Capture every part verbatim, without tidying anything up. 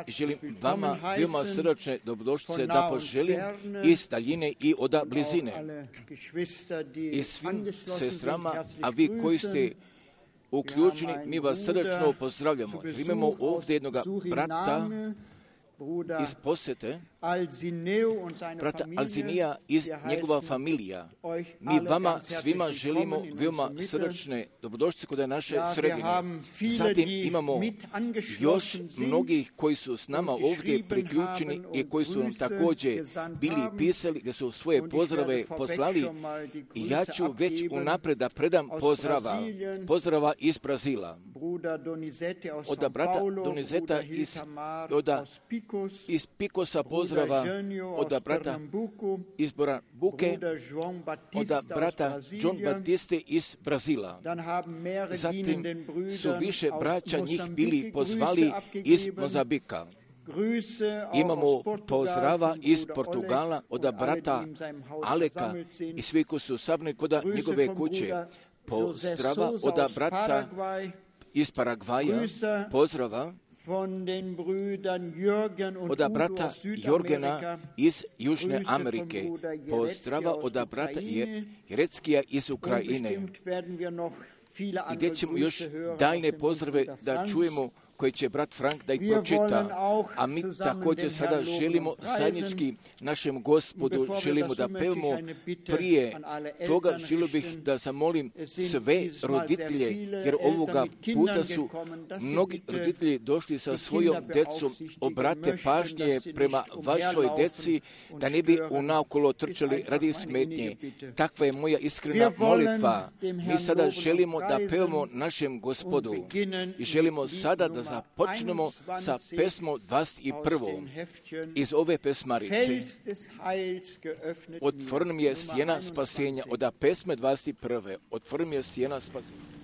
želim vama veoma srdačne dobrodošlice da poželim iz daljine i od blizine. I svim sestrama, a vi koji ste uključeni, mi vas srdačno pozdravljamo. Imamo ovdje jednog brata iz posete, brata Alzinija iz njegova familija. Mi vama svima želimo veoma srdačne dobrodošlice kod naše sredine. Zatim imamo još mnogih koji su s nama ovdje priključeni i koji su nam također bili pisali da su svoje pozdrave poslali. I ja ću već unaprijed da predam pozdrava, pozdrava iz Brazila, od brata Donizeta iz, od, iz Pikosa pozdrava, od brata iz Borambuke, od brata John Batiste iz Brazila. Zatim su više braća njih bili pozvali iz Mozambika. Imamo pozdrava iz Portugala od brata Aleka i svi koji su sabni kod njegove kuće. Pozdrava od brata iz Paragvaja, pozdrava od brata Jorgena iz Južne Amerike, pozdrava od brata Jereckija iz Ukrajine. I gdje ćemo još daljne pozdrave da čujemo, koje će brat Frank da ih pročita. A mi također sada želimo zajednički našem Gospodu, želimo da pevamo. Prije toga želio bih da zamolim sve roditelje, jer ovoga puta su mnogi roditelji došli sa svojom decom, obrate pažnje prema vašoj deci, da ne bi unaokolo trčali radi smetnje. Takva je moja iskrena molitva. Mi sada želimo da pevamo našem Gospodu i želimo sada da započnemo sa pesmom dvadeset prvom iz ove pesmarice. Otvoren mi je stijena spasenja, od pesme dvadeset prve. Otvoren mi je stijena spasenja.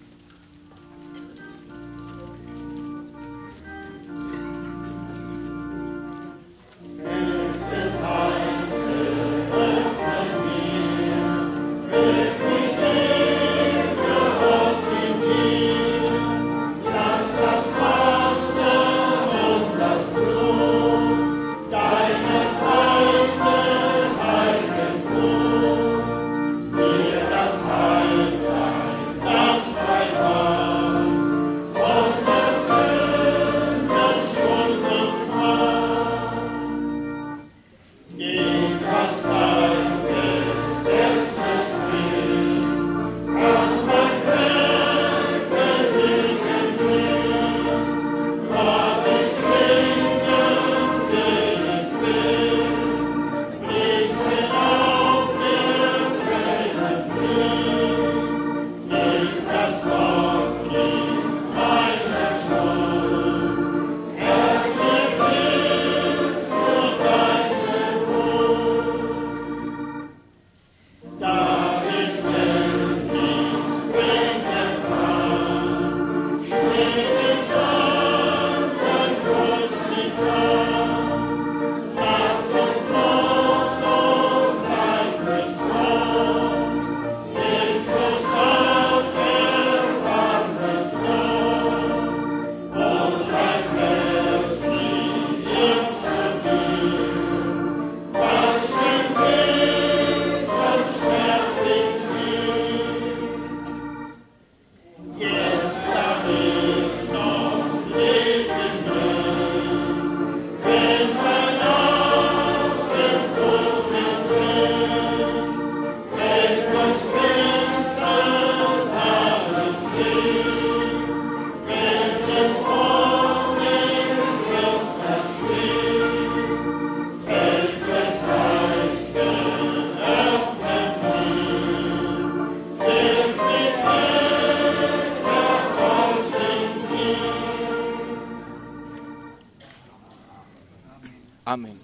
Amen.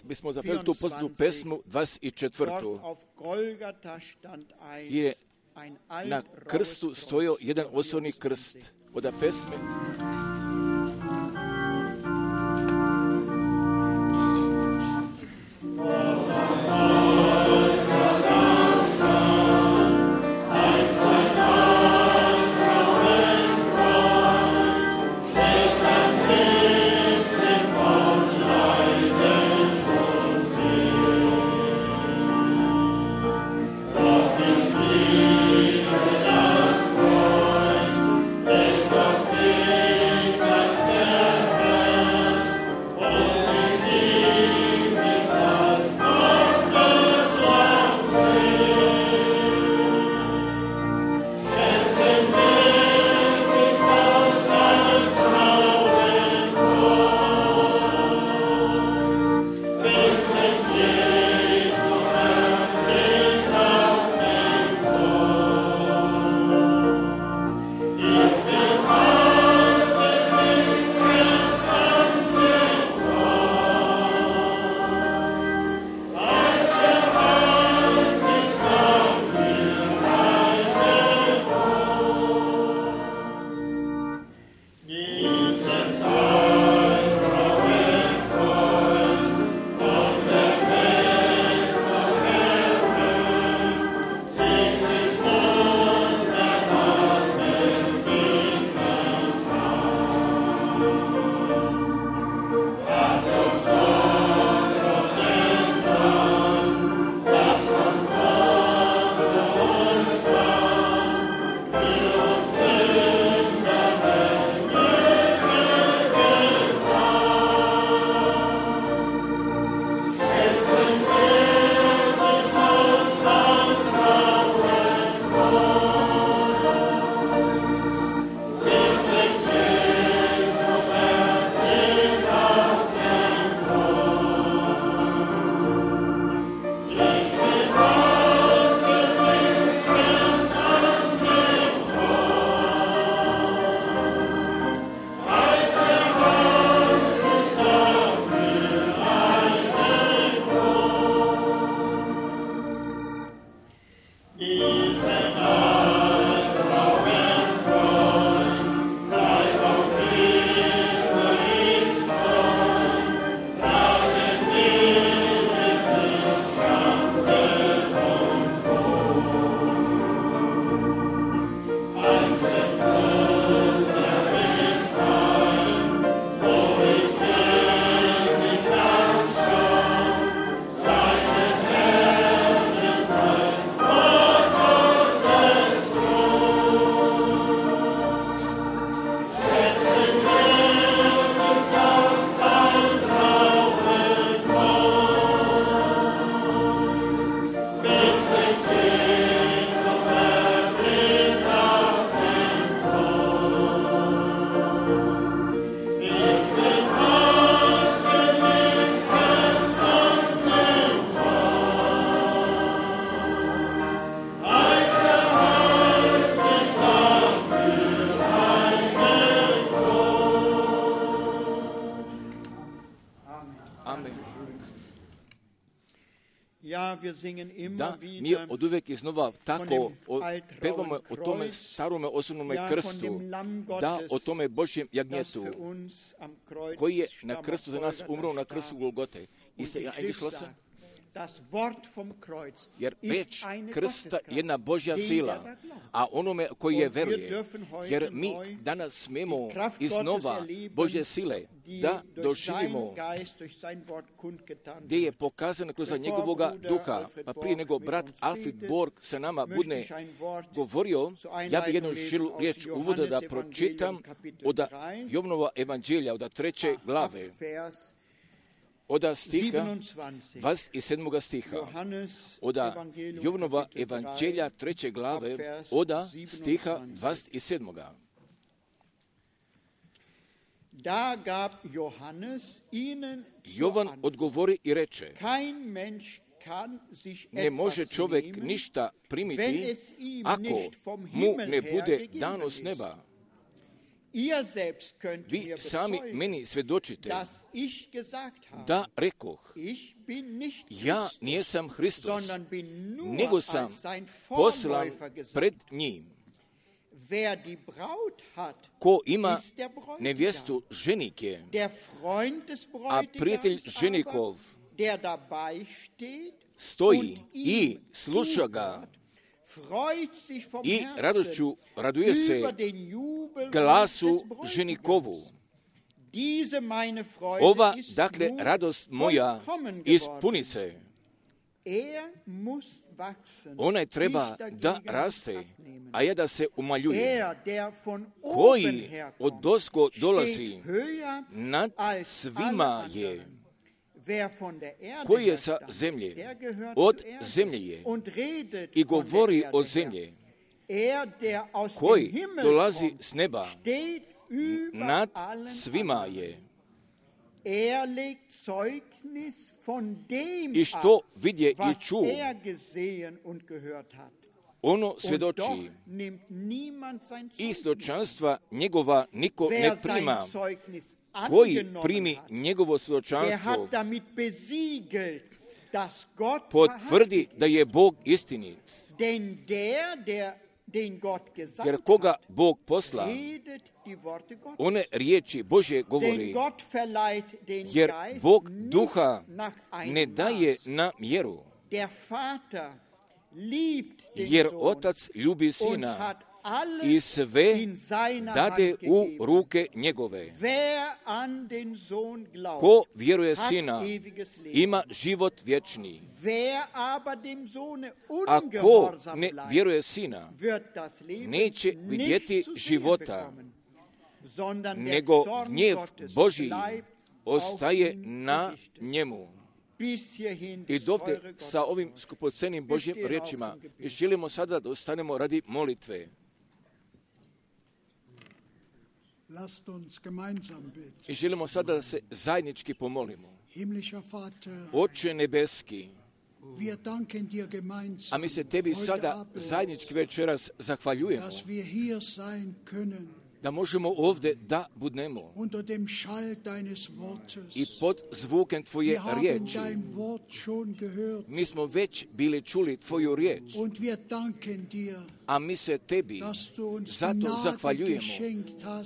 Bismo zapeli tu poznatu pesmu dvadeset četvrtu. Je na krstu stojao jedan osobni krst. Od pesme Thank you. Da, mi od uvek iznova tako o, pevamo o tome starome osobnome krstu, da, o tome Božjem jagnjetu, koji je na krstu za nas umro na krstu Golgote. I se ja eingeschlossen? Jer reč krsta je jedna Božja sila, a onome koji je veruje, jer mi danas smemo iznova Božje sile da doživimo gdje je pokazano kroz njegovoga duha. Pa prije nego brat Alfred Borg sa nama bude govorio, ja bih jednu žilu riječ uvoda da pročitam od Jovnova evanđelja, od treće glave. Od stiha, dvadeset sedmog stiha, od Jovnova evanđelja treće glave, od stiha dvadeset sedmog. Jovan odgovori i reče, ne može čovjek ništa primiti ako mu ne bude dano s neba. Vi sami meni svjedočite da rekoh, ja nisam Hristos, nego sam poslan pred njim. Ko ima nevjestu ženike, a prijatelj ženikov stoji i sluša ga, i radošću raduje se glasu ženikovu. Ova, dakle, radost moja ispuni se. Ona treba da raste, a ja da se umaljuje. Koji od dosko dolazi nad svima je, koji je sa zemlje, od zemlje je i govori od zemlje, koji dolazi s neba, nad svima je. I što vidje i čuo, ono svjedoči, i svjedočanstva njegova niko ne prima. Koji primi njegovo svjedočanstvo, potvrdi da je Bog istinit. Jer koga Bog posla, one riječi Božje govori, jer Bog duha ne daje na mjeru, jer Otac ljubi Sina i sve dade u ruke njegove. Ko vjeruje Sina, ima život vječni. A ko ne vjeruje Sina, neće vidjeti života, nego gnjev Božji ostaje na njemu. I dovde sa ovim skupocenim Božjim riječima želimo sada da ostanemo radi molitve. I želimo sada da se zajednički pomolimo. Oče nebeski, a mi se tebi sada zajednički večeras zahvaljujemo da možemo ovdje da budnemo i pod zvukem Tvoje riječi. Mi smo već bili čuli Tvoju riječ, a mi se Tebi zato zahvaljujemo,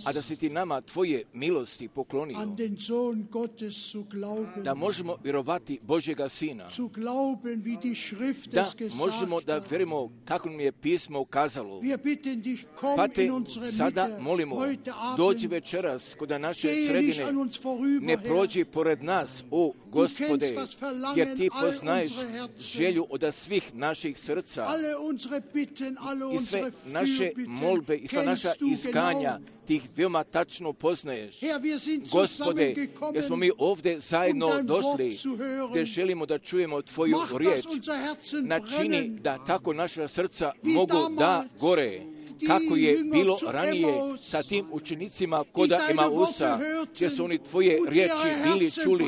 a da si Ti nama Tvoje milosti poklonio, da možemo vjerovati Božjega Sina, da možemo da vjerujemo kako nam je pismo ukazalo. Pa Te sada molimo, dođi večeras kod naše sredine, ne prođi pored nas, o Gospode, jer Ti poznaješ želju od svih naših srca i sve naše molbe i sva naša iskanja, Ti ih veoma tačno poznaješ. Gospode, jer smo mi ovdje zajedno došli, gdje želimo da čujemo Tvoju riječ, načini da tako naša srca mogu da gore, kako je bilo ranije sa tim učenicima koda Emausa, gdje su oni Tvoje riječi bili čuli,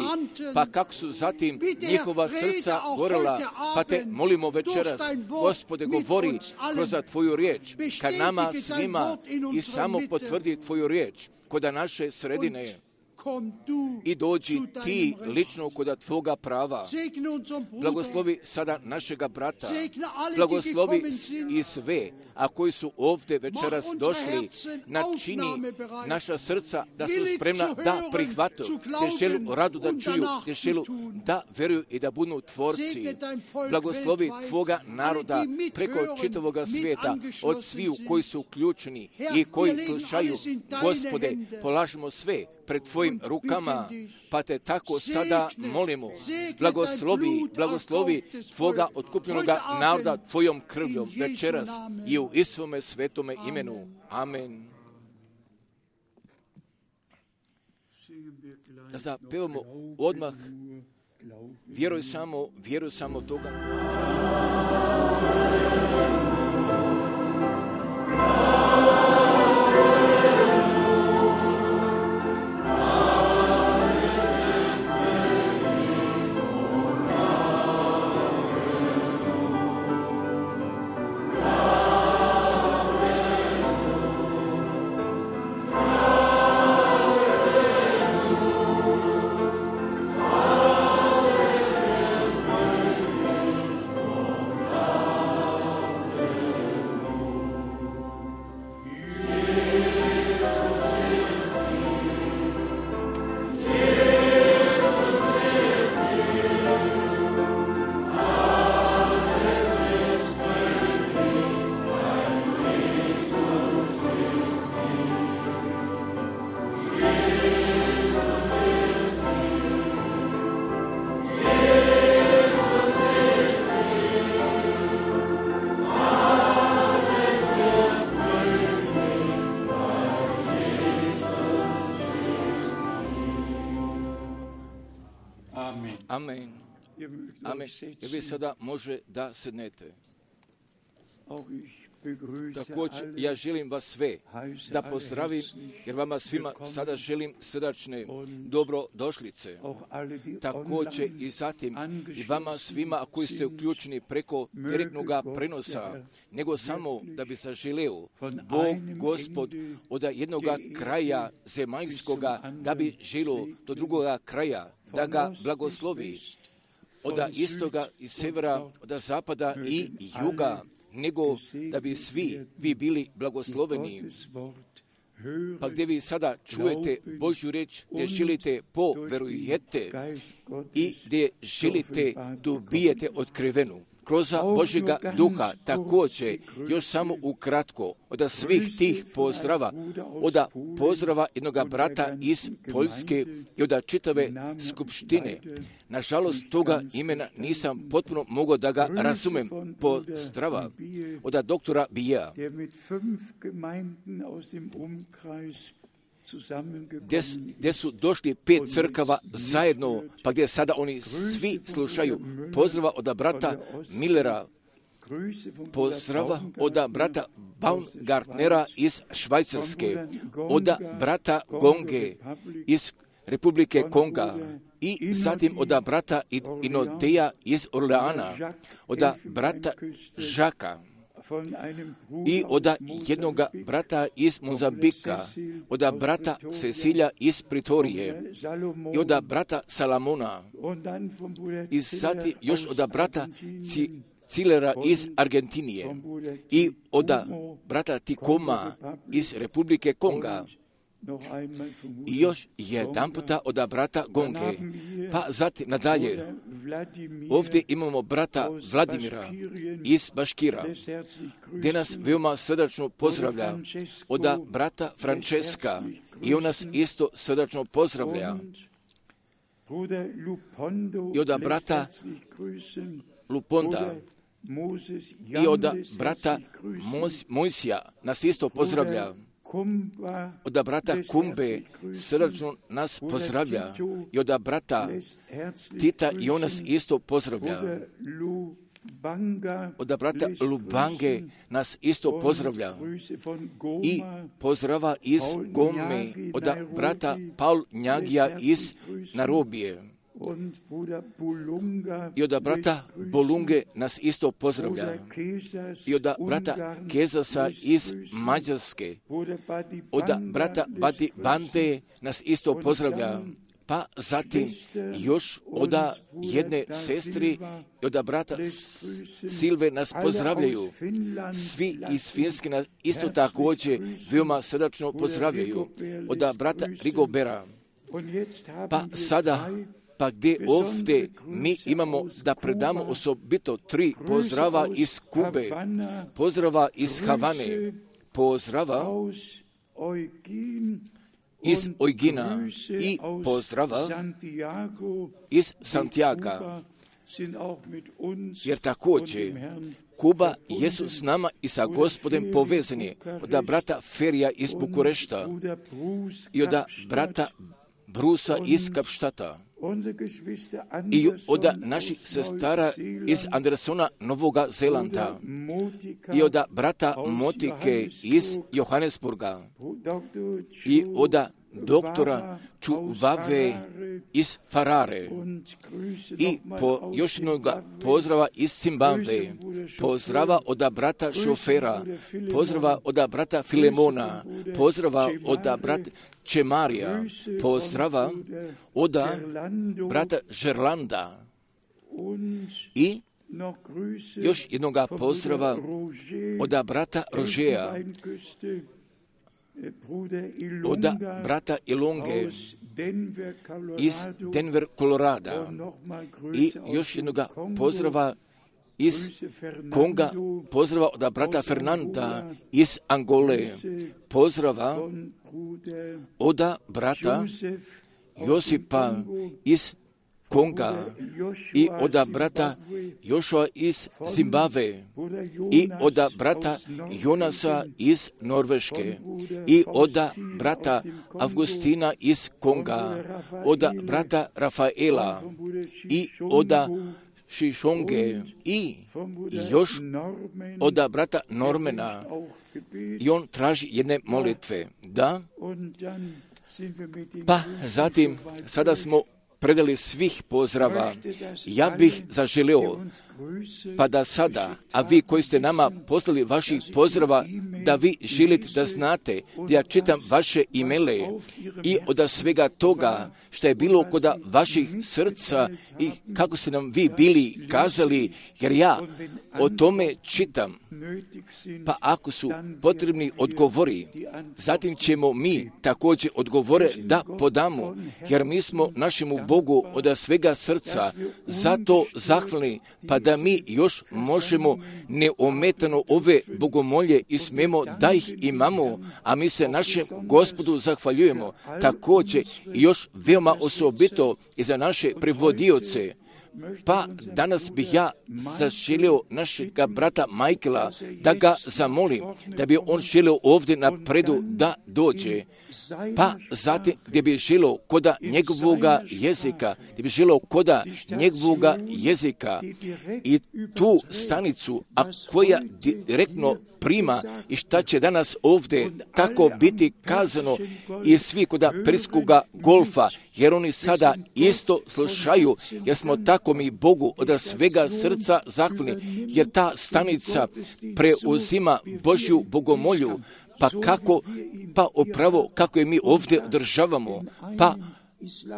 pa kako su zatim njihova srca gorela. Pa Te molimo večeras, Gospode, govori kroz Tvoju riječ ka nama svima i samo potvrdi Tvoju riječ koda naše sredine. i dođi ti lično kod tvoga prava. Blagoslovi sada našega brata, blagoslovi i sve, a koji su ovdje večeras došli, načini naša srca da su spremna da prihvatu, te želu radu da čuju, te želu da veruju i da budu tvorci. Blagoslovi tvoga naroda preko čitavoga svijeta, od sviju koji su uključeni i koji slušaju. Gospode, polažemo sve pred tvojim rukama, pa te tako sada molimo. Blagoslovi, blagoslovi tvoga otkupljenoga naroda tvojom krvljom večeras i u Isuvome svetome imenu. Amen. Da zapevamo odmah, vjeruj samo, vjeruj samo toga. Amen. Amen. I vi sada može da sednete. Također, ja želim vas sve da pozdravim, jer vama svima sada želim srdačne dobrodošlice. Također i zatim i vama svima koji ste uključeni preko direktnog prenosa, nego samo da bi zaželeo Bog, Gospod, od jednog kraja zemaljskoga, da bi želio do drugoga kraja, da ga blagoslovi, od istoga i severa, od zapada i juga, nego da bi svi vi bili blagosloveni. Pa gdje vi sada čujete Božju reč, gdje želite poverujete i gdje želite dobijete otkrivenu kroz Božjega duha. Također, još samo ukratko, od svih tih pozdrava, od pozdrava jednog brata iz Poljske i od čitave skupštine. Nažalost, toga imena nisam potpuno mogao da ga razumem. Pozdrava od doktora Bija, Gdje, gdje su došli pet crkava zajedno, pa gdje sada oni svi slušaju. Pozdrava od brata Millera, pozdrava od brata Baumgartnera iz Švajcarske, od brata Gonge iz Republike Konga i zatim od brata Inodeja iz Orleana, od brata Žaka i od jednog brata iz Mozambika, od brata Cecilija iz Pritorije i od brata Salamona i zatim još od brata Cilera iz Argentinije i od brata Tikoma iz Republike Konga i još jedan puta od brata Gonge. Pa zatim nadalje, ovdje imamo brata Vladimira iz Baškira, gdje nas veoma srdačno pozdravlja, od brata Francesca i on nas isto srdačno pozdravlja, i od brata Luponda i od brata Mojsija nas isto pozdravlja, od brata Kumbe srdačno nas pozdravlja i od brata Tita i on nas isto pozdravlja. Od brata Lubange nas isto pozdravlja i pozdrava iz Gome od brata Paul Njagija iz Narobije. I od brata Bolunge nas isto pozdravlja. I od brata Kezasa iz Mađarske. Od brata Badi Bande nas isto pozdravlja. Pa zatim još od jedne sestri i od brata Silve nas pozdravljaju. Svi iz Finske nas isto također veoma srdačno pozdravljaju. Od brata Rigobera. Pa sada, pa gdje ovdje mi imamo da predamo osobito tri pozdrava iz Kube, pozdrava iz Havane, pozdrava iz Eugina i pozdrava iz Santiaga, jer također Kuba jesu s nama i sa Gospodem povezani, od brata Ferija iz Bukurešta i od brata Brusa iz Kapštata i od naših sestara iz Andersona Novoga Zelanda i od brata Motike iz Johannesburga i od doktora Čuvave iz Farare i po još jednog pozdrava iz Zimbabve, pozdrava od brata Šofera, pozdrava od brata Filemona, pozdrava od brata Čemarija, pozdrava od brata Žerlanda i još jednog pozdrava od brata Rožeja, od brata Ilonge iz Denver, Kolorada i još jednog pozdrava iz Konga, pozdrava od brata Fernanda iz Angole, pozdrava od brata Josipa iz Konga i od brata Jošua iz Zimbabve i od brata Jonasa iz Norveške i od brata Avgustina iz Konga, od brata Rafaela i od Šišonge i još od brata Normena. I on traži jedne molitve. Da? Pa zatim, sada smo predali svih pozdrava. Ja bih zaželio, pa da sada, a vi koji ste nama poslali vaših pozdrava, da vi želite da znate da ja čitam vaše imele i od svega toga što je bilo kod vaših srca i kako ste nam vi bili kazali, jer ja o tome čitam. Pa ako su potrebni odgovori, zatim ćemo mi također odgovore da podamo, jer mi smo našemu Bogu od svega srca zato zahvalni, pa da mi još možemo neometano ove bogomolje i smemo da ih imamo, a mi se našem Gospodu zahvaljujemo. Također i još veoma osobito i za naše prevodioce. Pa danas bih ja zaželio našega brata Michaela da ga zamolim, da bi on želio ovdje napredu da dođe. Pa zatim gdje bi želio koda njegovoga jezika, gdje bi želio koda njegovoga jezika i tu stanicu, a koja direktno prima i šta će danas ovdje tako biti kazano i svi koda perskoga golfa, jer oni sada isto slušaju, jer smo tako mi Bogu od svega srca zahvalni, jer ta stanica preuzima Božju bogomolju, pa kako, pa upravo kako je mi ovdje održavamo, pa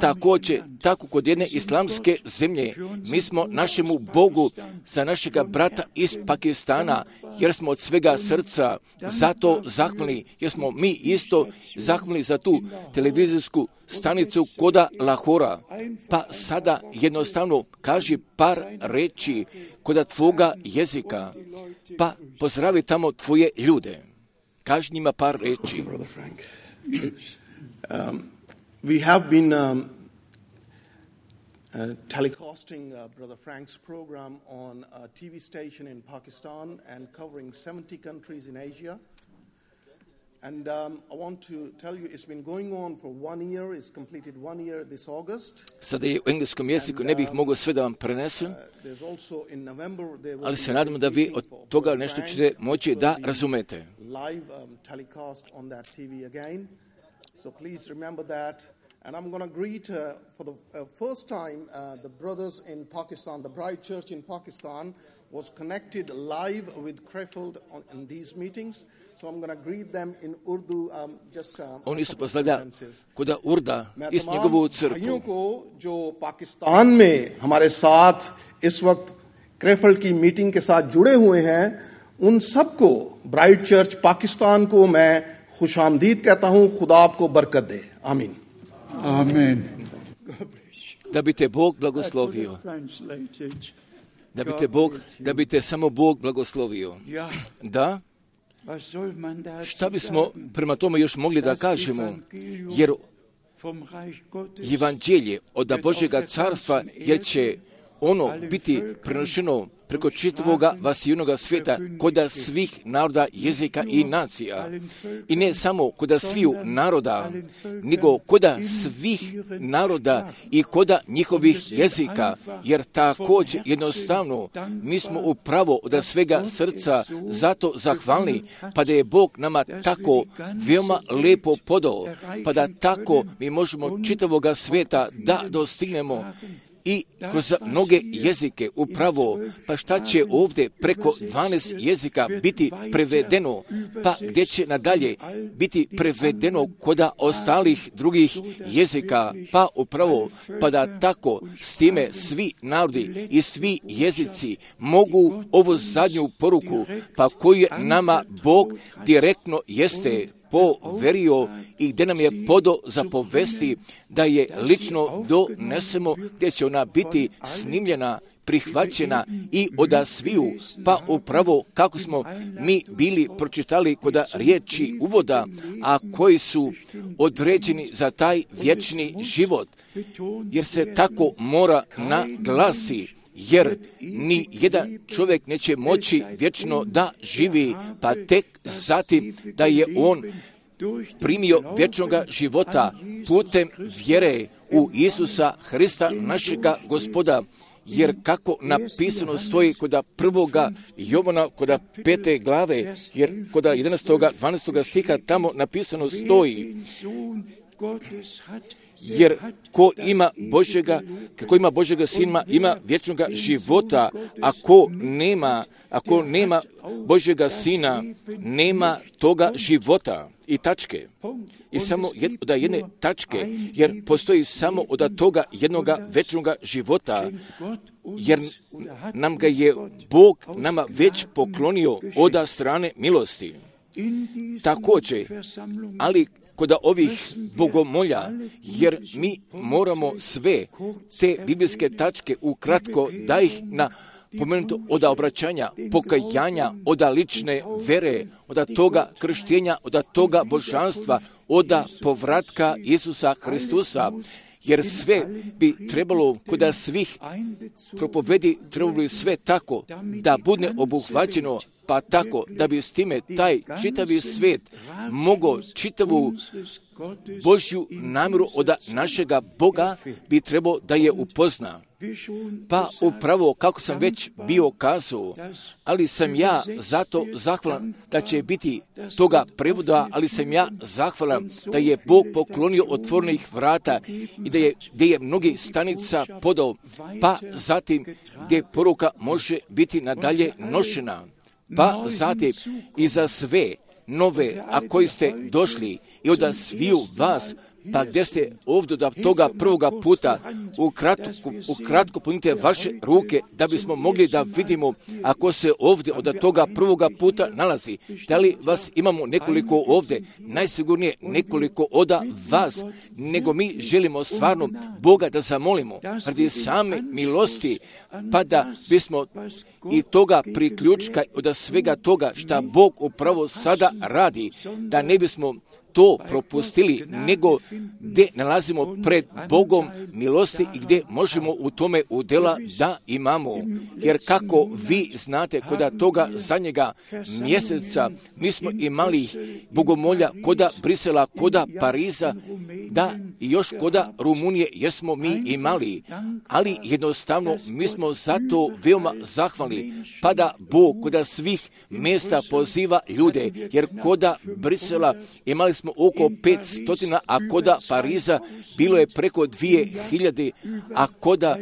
također, tako kod jedne islamske zemlje, mi smo našemu Bogu za našega brata iz Pakistana, jer smo od svega srca zato zahvalni, jer smo mi isto zahvalni za tu televizijsku stanicu koda Lahora. Pa sada jednostavno kaži par reči koda tvoga jezika, pa pozdravi tamo tvoje ljude. Kaži njima par reči. Um, We have been um, uh, telecasting uh, Brother Frank's program on a T V station in Pakistan and covering seventy countries in Asia. And um, I want to tell you, it's been going on for one year. It's completed one year this August. Sada je u engleskom jeziku, ne bih mogao sve da vam prenesem, ali se nadam da vi od toga nešto ćete moći da razumete. Live um, telecast on that T V again. So please remember that. And I'm going to greet uh, for the uh, first time uh, the brothers in Pakistan. The Bride Church in Pakistan was connected live with Krefeld on, in these meetings. So I'm going to greet them in Urdu. Um, just, um, On isto pozdravlja kod Urda iz njegovu crkvu. भाइयों को जो पाकिस्तान में हमारे साथ इस वक्त क्रेफल्ड की मीटिंग के साथ जुड़े हुए हैं, उन सबको ब्राइट चर्च पाकिस्तान को मैं खुशामदीद कहता हूं. खुदा आपको बरकत दे. आमीन. Amen. Da bi te Bog blagoslovio. Da bi te Bog, da bi te samo Bog blagoslovio. Da? Šta bismo prema tome još mogli da kažemo? Jer evanđelje od Božjega carstva, jer će ono biti prenošeno preko čitavoga vasijunoga svijeta koda svih naroda, jezika i nacija. I ne samo koda sviju naroda, nego koda svih naroda i koda njihovih jezika, jer također jednostavno mi smo upravo od svega srca zato zahvalni, pa da je Bog nama tako veoma lepo podao, pa da tako mi možemo čitavoga svijeta da dostignemo i kroz mnoge jezike upravo, pa šta će ovdje preko dvanaest jezika biti prevedeno, pa gdje će nadalje biti prevedeno koda ostalih drugih jezika, pa upravo, pa da tako s time svi narodi i svi jezici mogu ovu zadnju poruku, pa koju je nama Bog direktno jeste poverio i gdje nam je podo za povesti da je lično donesemo, gdje će ona biti snimljena, prihvaćena i oda sviju, pa upravo kako smo mi bili pročitali kod riječi uvoda, a koji su određeni za taj vječni život, jer se tako mora naglasi. Jer ni jedan čovjek neće moći vječno da živi, pa tek zatim da je on primio vječnoga života putem vjere u Isusa Hrista, našega Gospoda. Jer kako napisano stoji kod prvoga Jovana, kod pete glave, jer kod jedanaestog dvanaestog stiha tamo napisano stoji, jer ko ima Božjega, ko ima Božjega Sina, ima vječnoga života, a ko nema, ako nema Božjega Sina, nema toga života. I tačke. I samo jed, od jedne tačke, jer postoji samo od toga jednoga večnoga života, jer nam ga je Bog nama već poklonio od strane milosti. Također, ali kod ovih bogomolja, jer mi moramo sve te biblijske tačke ukratko da ih na pomenuto od obraćanja, pokajanja, od lične vere, od toga krštenja, od toga božanstva, od povratka Isusa Hristusa, jer sve bi trebalo kod svih propovedi, trebalo bi sve tako da bude obuhvaćeno, pa tako da bi s time taj čitavi svijet mogao čitavu Božju namjeru od našega Boga bi trebao da je upozna. Pa upravo kako sam već bio kazao, ali sam ja zato zahvalan da će biti toga prevoda, ali sam ja zahvalan da je Bog poklonio otvorenih vrata i da je, gdje je mnogi stanica podao, pa zatim gdje poruka može biti nadalje nošena. Pa zatim i za sve nove, a koji ste došli i od sviju vas, pa gdje ste ovdje do toga prvoga puta, ukratko, ukratko punite vaše ruke da bismo mogli da vidimo ako se ovdje od toga prvoga puta nalazi. Da li vas imamo nekoliko ovdje? Najsigurnije nekoliko od vas, nego mi želimo stvarno Boga da zamolimo radi same milosti, pa da bismo i toga priključka od svega toga šta Bog upravo sada radi, da ne bismo to propustili, nego gdje nalazimo pred Bogom milosti i gdje možemo u tome udjela da imamo. Jer kako vi znate, kod toga zadnjega mjeseca mi smo imali bogomolja koda Brisela, koda Pariza, da i još koda Rumunije jesmo mi imali, ali jednostavno mi smo zato veoma zahvalni, pa da Bog koda svih mjesta poziva ljude, jer koda Brisela imali smo oko petstotina, a koda Pariza bilo je preko dvije hiljade, a koda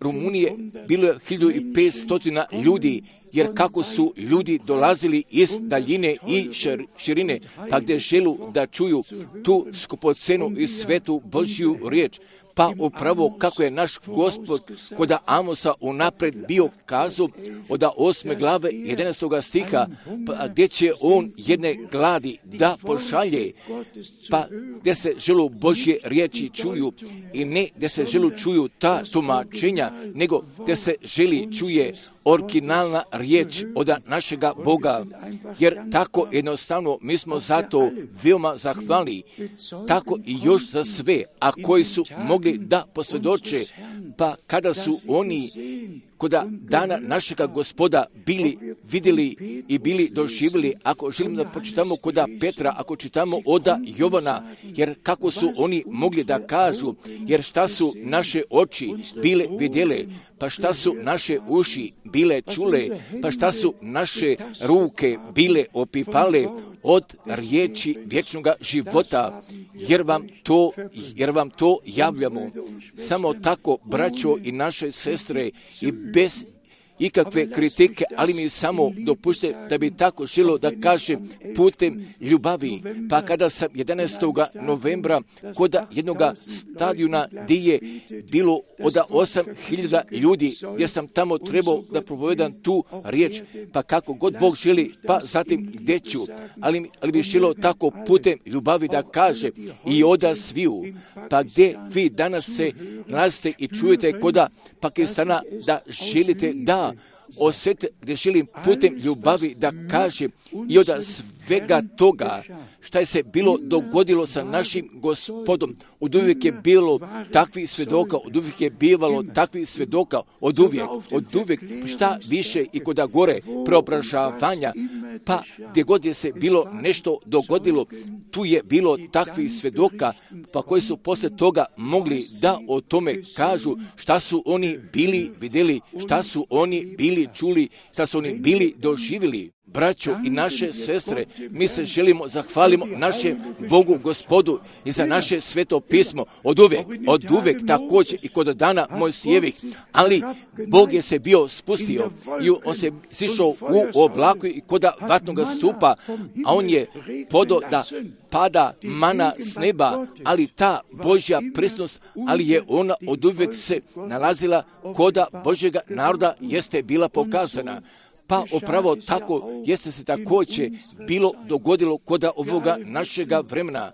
Rumunije bilo je hiljadu i petstotina ljudi, jer kako su ljudi dolazili iz daljine i širine, pa gdje želu da čuju tu skupocenu i svetu Božju riječ. Pa upravo kako je naš Gospod koda Amosa unapred bio kazao od osme glave jedanaestoga stiha, pa gdje će on jedne gladi da pošalje, pa gdje se želu Božje riječi čuju i ne gdje se želu čuju ta tumačenja, nego gdje se želi čuje originalna riječ od našega Boga, jer tako jednostavno mi smo zato veoma zahvalni, tako i još za sve, a koji su mogli da posvjedoče, pa kada su oni koda dana našega Gospoda bili vidjeli i bili doživjeli, ako želimo da pročitamo koda Petra, ako čitamo oda Jovana, jer kako su oni mogli da kažu, jer šta su naše oči bile vidjele, pa šta su naše uši bile čule, pa šta su naše ruke bile opipale od riječi vječnoga života, jer vam to, jer vam to javljamo. Samo tako, braćo i naše sestre, i bez ikakve kritike, ali mi samo dopušte da bi tako želo da kažem putem ljubavi. Pa kada sam jedanaestog novembra koda jednoga stadiona gdje je bilo od osam hiljada ljudi, gdje sam tamo trebao da propovedam tu riječ, pa kako god Bog želi, pa zatim gdje ću, ali, ali bi želo tako putem ljubavi da kaže i oda sviju, pa gdje vi danas se nalazite i čujete koda Pakistana da želite da osjete, gdje želim putem ljubavi da kažem i od svega toga šta je se bilo dogodilo sa našim Gospodom. Od uvijek je bilo takvih svjedoka, od uvijek je bivalo takvih svjedoka, od uvijek, od uvijek, šta više i koda gore preobražavanja, pa gdje god je se bilo nešto dogodilo, tu je bilo takvih svjedoka, pa koji su poslije toga mogli da o tome kažu šta su oni bili vidjeli, šta su oni bili čuli, šta su oni bili doživjeli. Braćo i naše sestre, mi se želimo zahvalimo našem Bogu Gospodu i za naše sveto pismo od uvijek, od uvijek također i kod dana Mojsijevih, ali Bog je se bio spustio i on se sišao u oblaku i koda vatnoga stupa, a on je podo da pada mana s neba, ali ta Božja prisutnost, ali je ona od uvijek se nalazila koda Božjega naroda jeste bila pokazana. Pa upravo tako jeste se također bilo dogodilo koda ovoga našega vremena.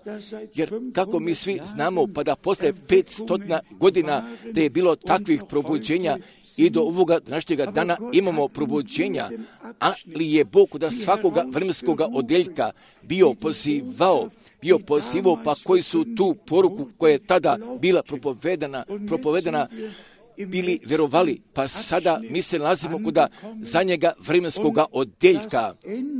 Jer kako mi svi znamo, pa da posle petstotina godina da je bilo takvih probuđenja i do ovoga našega dana imamo probuđenja, ali je Bog koda svakoga vremenskoga odjeljka bio pozivao, bio pozivao, pa koji su tu poruku koja je tada bila propovedana, propovedana bili vjerovali, pa sada mi se nalazimo koda zadnjega vremenskoga odjeljka,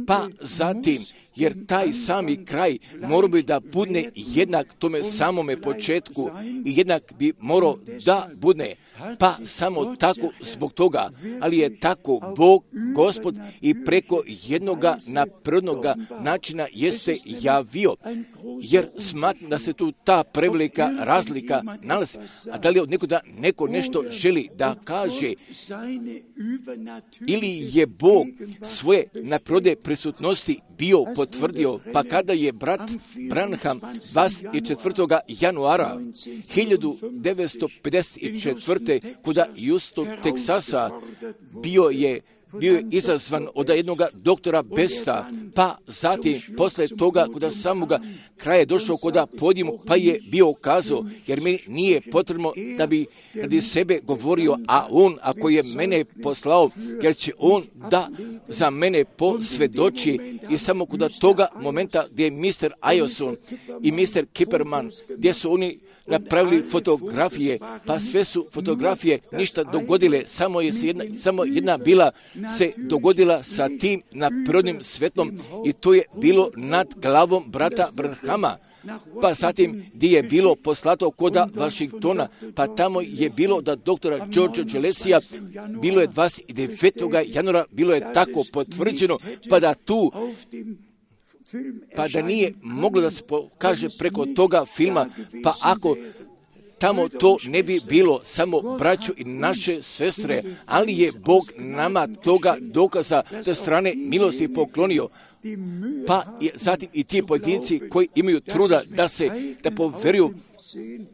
pa zatim, jer taj sami kraj mora bi da budne jednak tome samome početku i jednak bi morao da budne, pa samo tako zbog toga, ali je tako Bog, Gospod i preko jednoga naprednoga načina jeste javio, jer smatram da se tu ta prevelika razlika nalazi, a da li od nekoga neko nešto želi da kaže, ili je Bog svoje napredne prisutnosti bio potvrdio, pa kada je brat Branham dvadeset četvrtog januara hiljadu devetsto pedeset četvrte kuda Houston, Teksasa, bio je bio je izazvan od jednog doktora Besta, pa zatim posle toga kuda samoga kraja došao kuda podimu, pa je bio kazao, jer mi nije potrebno da bi radi sebe govorio, a on ako je mene poslao, jer će on da za mene posvjedoči. I samo kuda toga momenta gdje je mister Ayoson i mister Kipperman, gdje su oni napravili fotografije, pa sve su fotografije ništa dogodile, samo je jedna, samo jedna bila se dogodila sa tim naprednim svetlom i to je bilo nad glavom brata Branhama. pa zatim gdje je bilo poslato koda Washingtona, pa tamo je bilo da doktora Georgea Gillespija, bilo je dvadeset devetog januara, bilo je tako potvrđeno, pa da tu pa da nije moglo da se pokaže preko toga filma, pa ako tamo to ne bi bilo samo braćo i naše sestre, ali je Bog nama toga dokaza te strane milosti poklonio. Pa je zatim i ti pojedinci koji imaju truda da se, da poveruju,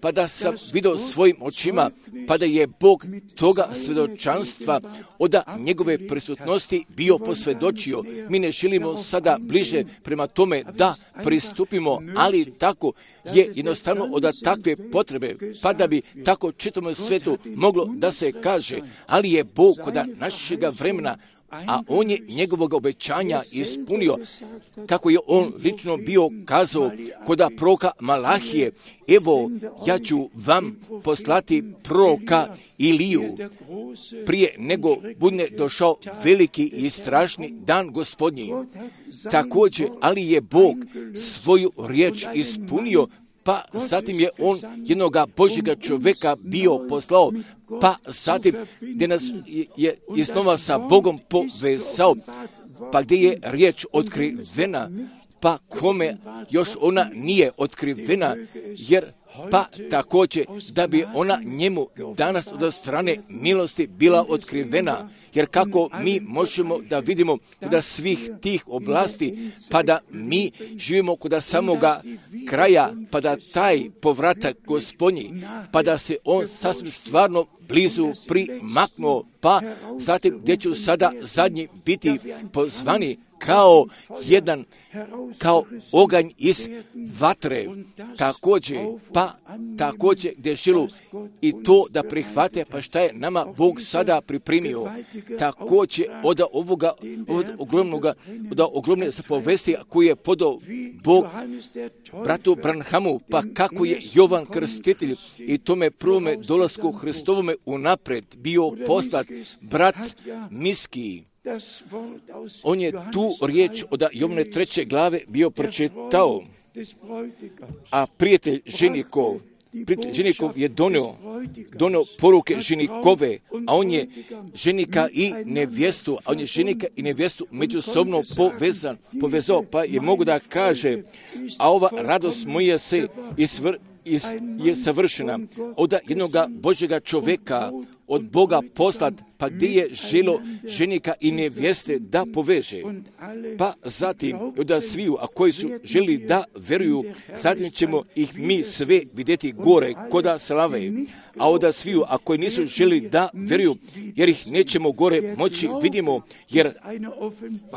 pa da sam vidio svojim očima, pa da je Bog toga svjedočanstva od njegove prisutnosti bio posvjedočio. Mi ne želimo sada bliže prema tome da pristupimo, ali tako je jednostavno od takve potrebe, pa da bi tako čitavom svetu moglo da se kaže, ali je Bog kod našega vremena, a on je njegovog obećanja ispunio, kako je on lično bio kazao koda proroka Malahije, evo ja ću vam poslati proroka Iliju prije nego bude došao veliki i strašni dan Gospodnji. Također, ali je Bog svoju riječ ispunio, pa zatim je on jednoga Božjega čovjeka bio poslao, pa zatim gdje nas je iznova sa Bogom povezao, pa gdje je riječ otkrivena, pa kome još ona nije otkrivena, jer pa također da bi ona njemu danas od strane milosti bila otkrivena, jer kako mi možemo da vidimo da svih tih oblasti, pa da mi živimo kod samoga kraja, pa da taj povratak Gospodnji, pa da se on sasvim stvarno blizu primaknuo, pa zatim gdje ću sada zadnji biti pozvani kao jedan, kao oganj iz vatre, također, pa također gdje žilu i to da prihvate, pa šta je nama Bog sada pripremio, također od ovoga, od ogromnoga, od ogromne zapovesti koju je podao Bog bratu Branhamu, pa kako je Jovan Krstitelj i tome prvome dolasku Hristovome unapred bio poslat brat Miski. On je tu riječ od Jovane treće glave bio pročitao, a prijatelj ženikov, prijatelj ženikov je donio, donio poruke ženikove, a on je ženika i nevjestu, a on je ženika i nevjestu međusobno povezan, povezao, pa je mogu da kaže, a ova radost moja se isvr, is, je savršena od jednoga Božjega čovjeka, od Boga poslat, pa gdje je želo ženika i nevjeste da poveže. Pa zatim od sviju, a koji su želi da veruju, zatim ćemo ih mi sve vidjeti gore koda slave. A od sviju, a koji nisu želi da veruju, jer ih nećemo gore moći vidimo, jer,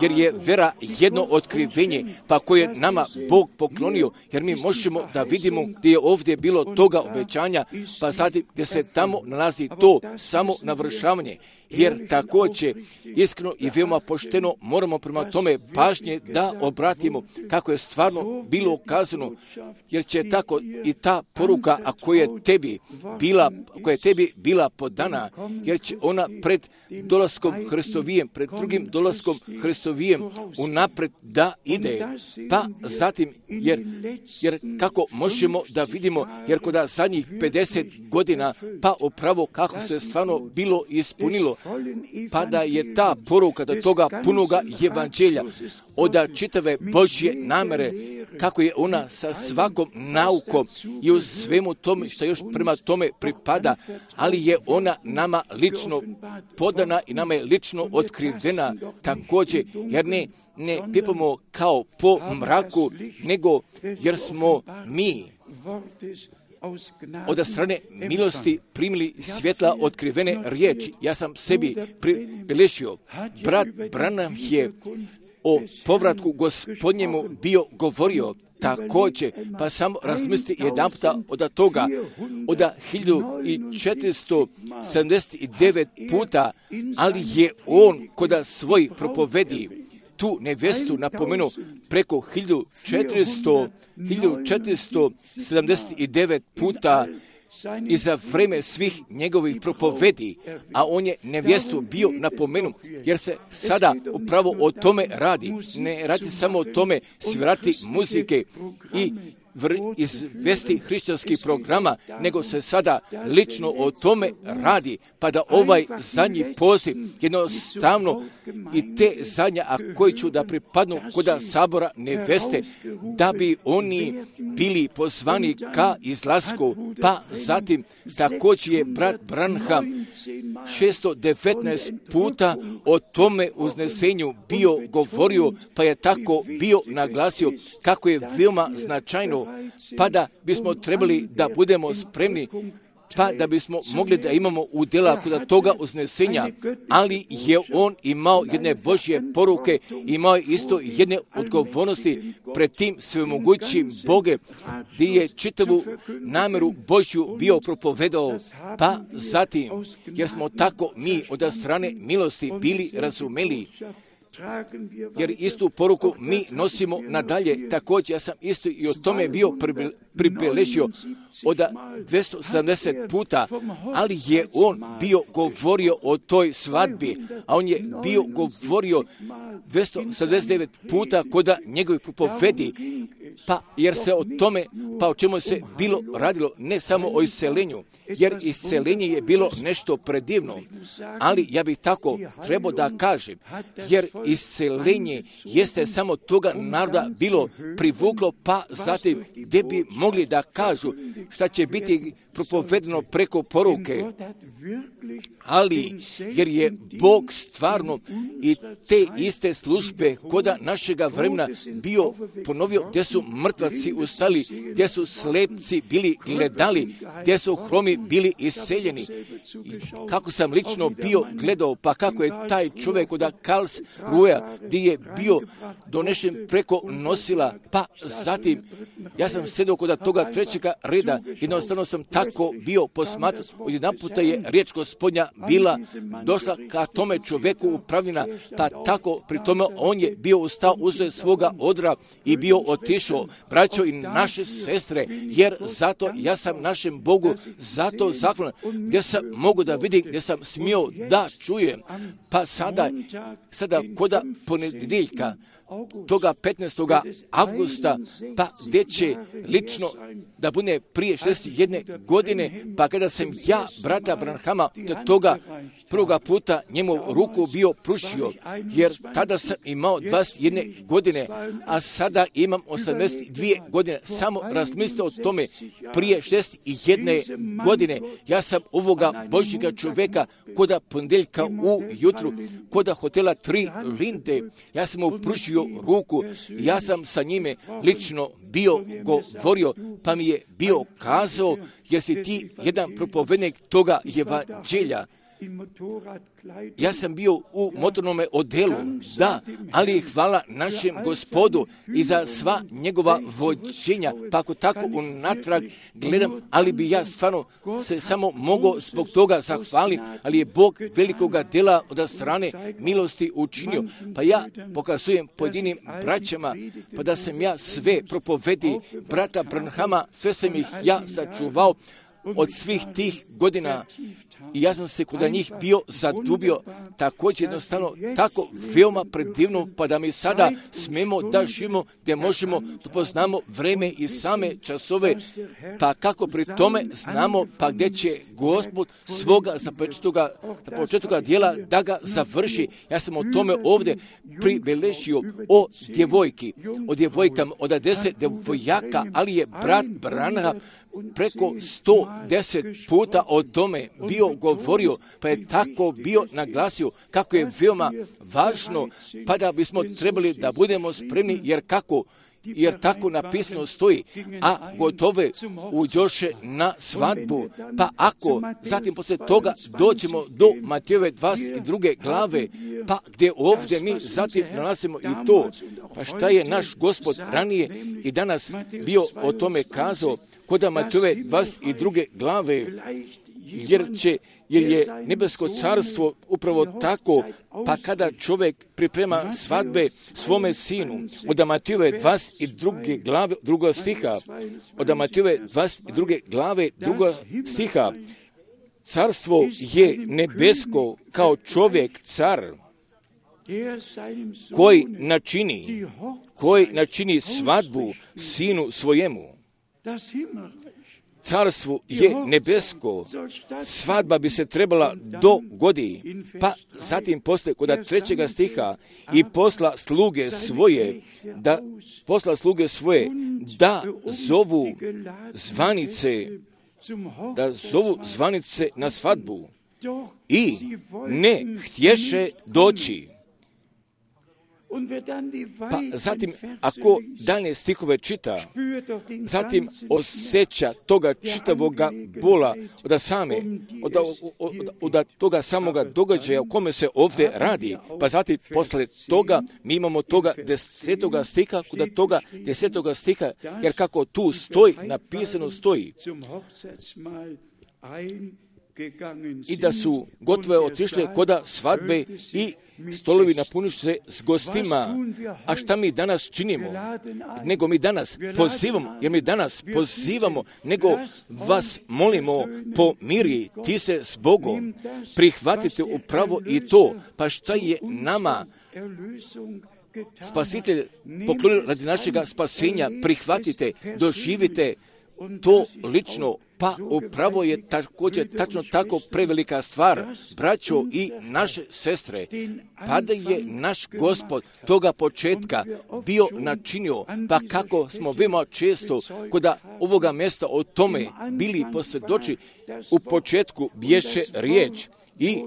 jer je vera jedno otkrivenje, pa koje nama Bog poklonio, jer mi možemo da vidimo gdje je ovdje bilo toga obećanja, pa zatim gdje se tamo nalazi to samo navršavanje. Jer također, iskreno i veoma pošteno moramo prema tome pažnje da obratimo kako je stvarno bilo ukazano, jer će tako i ta poruka, a koja je tebi bila, koja je tebi bila podana, jer će ona pred dolaskom Hristovijem, pred drugim dolaskom Hristovijem unapred da ide. Pa zatim, jer, jer kako možemo da vidimo, jer kod zadnjih pedeset godina, pa upravo kako se stvarno bilo ispunilo, pa da je ta poruka do toga punoga evanđelja, od čitave Božje namere, kako je ona sa svakom naukom i u svemu tome što još prema tome pripada, ali je ona nama lično podana i nama je lično otkrivena također, jer ne, ne pipamo kao po mraku, nego jer smo mi od strane milosti primili svjetla otkrivene riječi. Ja sam sebi pribilježio. Brat Branham je o povratku Gospodnjemu bio govorio također, pa samo razmislite jedan puta od toga, od hiljadu četiristo sedamdeset devet puta, ali je on kod svoj propovedi tu nevjestu napomenu preko hiljadu četiristo sedamdeset devet puta i za vreme svih njegovih propovedi, a on je nevjestu bio napomenu, jer se sada upravo o tome radi. Ne radi samo o tome svirati muzike i vr- izvesti hrišćanskih programa, nego se sada lično o tome radi, pa da ovaj zadnji poziv jednostavno i te zadnje, a koji ću da pripadnu koda sabora neveste, da bi oni bili pozvani ka izlasku, pa zatim također je brat Branham šesto devetnaest puta o tome uznesenju bio govorio, pa je tako bio naglasio kako je veoma značajno, pa da bismo trebali da budemo spremni, pa da bismo mogli da imamo udjela kod toga uznesenja, ali je on imao jedne Božje poruke, imao je isto jedne odgovornosti pred tim svemogućim Boge, gdje je čitavu namjeru Božju bio propovedao, pa zatim, jer smo tako mi od strane milosti bili razumeli, jer istu poruku mi nosimo nadalje. Također ja sam isto i o tome bio pribeležio od dvjesto sedamdeset puta, ali je on bio govorio o toj svadbi, a on je bio govorio dvjesto sedamdeset devet puta kod njegovih propovedi, pa jer se o tome, pa o čemu se bilo radilo, ne samo o iselenju, jer iselenje je bilo nešto predivno, ali ja bih tako trebao da kažem, jer iselenje jeste samo toga naroda bilo privuklo, pa zatim gdje bi mogli da kažu šta će biti propovedeno preko poruke, ali jer je Bog stvarno i te iste službe koda našega vremena bio ponovio, gdje su mrtvaci ustali, gdje su slepci bili gledali, gdje su hromi bili iseljeni. I kako sam lično bio gledao, pa kako je taj čovjek od Karls Ruja, gdje je bio donešen preko nosila, pa zatim ja sam sedao kod toga trećega reda, jednostavno sam tako bio posmatran, odjedan puta je riječ Gospodnja bila došla ka tome čovjeku upravljena, pa tako pri tome on je bio ustao, uzeo svoga odra i bio otišao. Braćo i naše sestre, jer zato ja sam našem Bogu zato zahvalan, gdje sam mogu da vidim, gdje sam smio da čujem. Pa sada, sada koda ponedjeljka, toga petnaestog avgusta, pa gdje će lično da bude prije šezdeset jedne godine, pa kada sam ja, brata Branhama, do toga prvoga puta njemu ruku bio prušio, jer tada sam imao dvadeset jedne godine, a sada imam osamdeset dvije godine. Samo razmislite o tome, prije šezdeset jedne godine, ja sam ovoga Božjega čovjeka koda ponedjeljka u jutru, koda hotela Tri Linde, ja sam mu prušio ruku, ja sam sa njime lično bio govorio, pa mi je bio kazao, jer si ti jedan propovednik toga evanđelja. Ja sam bio u motornome odelu, da, ali hvala našem Gospodu i za sva njegova vođenja, pa ako tako unatrag gledam, ali bi ja stvarno se samo mogao zbog toga zahvaliti, ali je Bog velikoga dela od strane milosti učinio, pa ja pokazujem pojedinim braćama, pa da sam ja sve propovedi brata Branhama, sve sam ih ja sačuvao od svih tih godina. I ja sam se kod njih bio zadubio, također jednostavno tako veoma predivno, pa da mi sada smemo da živimo, gdje možemo da poznamo vreme i same časove, pa kako pri tome znamo, pa gdje će Gospod svoga započetoga dijela da ga završi. Ja sam o tome ovdje pribeležio o djevojki, o djevojkama, od deset djevojaka, ali je brat Branham preko sto deset puta o tome bio govorio, pa je tako bio naglasio kako je veoma važno, pa da bismo trebali da budemo spremni, jer kako, jer tako napisano stoji, a gotove uđoše na svadbu. Pa ako zatim poslije toga dođemo do Matejove dvadeset druge glave, pa gdje ovdje mi zatim nalazimo i to, pa šta je naš Gospod ranije i danas bio o tome kazao, kod Matejove dvadeset druge glave, jer će jer je nebesko carstvo upravo tako, pa kada čovjek priprema svadbe svome sinu, od Matejove dvadeset druge glave drugog stiha, od Matejove dvadeset druge glave drugog stiha, carstvo je nebesko kao čovjek car, koji načini, koji načini svadbu sinu svojemu. carstvu je nebesko, svadba bi se trebala dogodi, pa zatim posle kod trećega stiha i posla sluge svoje, da posla sluge svoje, da zovu zvanice, da zovu zvanice na svadbu i ne htješe doći. Pa zatim, ako dalje stihove čita, zatim osjeća toga čitavoga bola od same, od, od, od, od toga samoga događaja o kome se ovdje radi, pa zatim posle toga mi imamo toga desetoga stiha, kod toga desetoga stiha, jer kako tu stoji, napisano stoji, i da su gotove otišle koda svadbe i stolovi napuniš se s gostima. A šta mi danas činimo? Nego mi danas pozivamo, jer mi danas pozivamo, nego vas molimo, pomiri ti se s Bogom, prihvatite upravo i to. Pa šta je nama Spasitelj poklonio radi našega spasenja? Prihvatite, doživite to lično, pa upravo je također tačno tako prevelika stvar, braćo i naše sestre, pa da je naš Gospod toga početka bio načinio, pa kako smo veoma često kod ovoga mjesta o tome bili posvjedoči, u početku bješe riječ i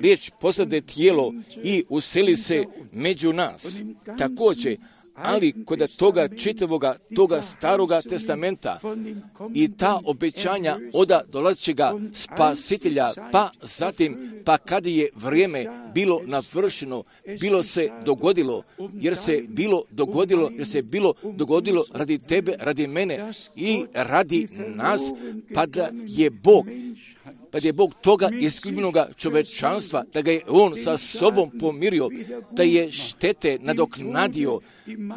riječ poslade tijelo i useli se među nas. Također, ali kod toga čitavoga, toga staroga testamenta i ta obećanja oda dolazećega spasitelja, pa zatim, pa kad je vrijeme bilo navršeno, bilo se dogodilo, jer se bilo dogodilo, jer se bilo dogodilo radi tebe, radi mene i radi nas, pa da je Bog pa da je Bog toga isključenoga čovečanstva, da ga je On sa sobom pomirio, da je štete nadoknadio,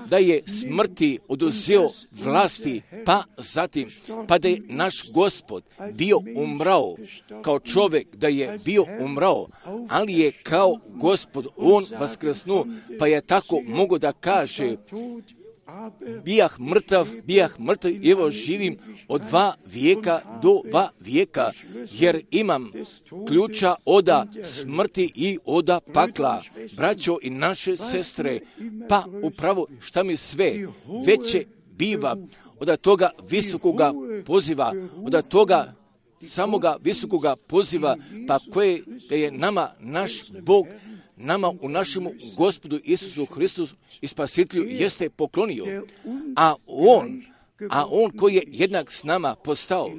da je smrti oduzeo vlasti, pa zatim, pa da je naš Gospod bio umrao, kao čovjek da je bio umrao, ali je kao Gospod On vaskrsnuo, pa je tako mogo da kaže, bijah mrtav, bijah mrtav, evo živim od dva vijeka do dva vijeka, jer imam ključa oda smrti i oda pakla. Braćo i naše sestre, pa upravo šta mi sve veće biva od toga visokoga poziva, od toga samoga visokoga poziva, pa koje da je nama naš Bog, nama u našemu Gospodu Isusu Hristu i Spasitelju jeste poklonio, a On, a On koji je jednak s nama postao,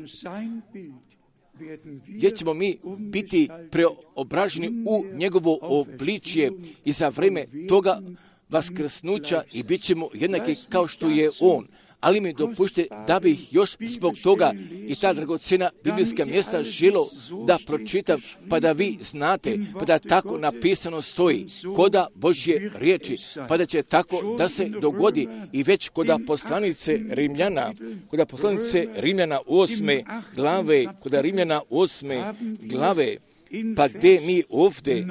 jer ćemo mi biti preobraženi u njegovo obličje i za vrijeme toga vaskrsnuća i bit ćemo jednaki kao što je On. Ali mi dopušte da bih još zbog toga i ta dragocjena biblijska mjesta želo da pročitam, pa da vi znate, pa da tako napisano stoji koda Božje riječi, pa da će tako da se dogodi i već koda poslanice Rimljana, koda poslanice Rimljana osme glave, koda Rimljana osme glave, pa gdje mi ovdje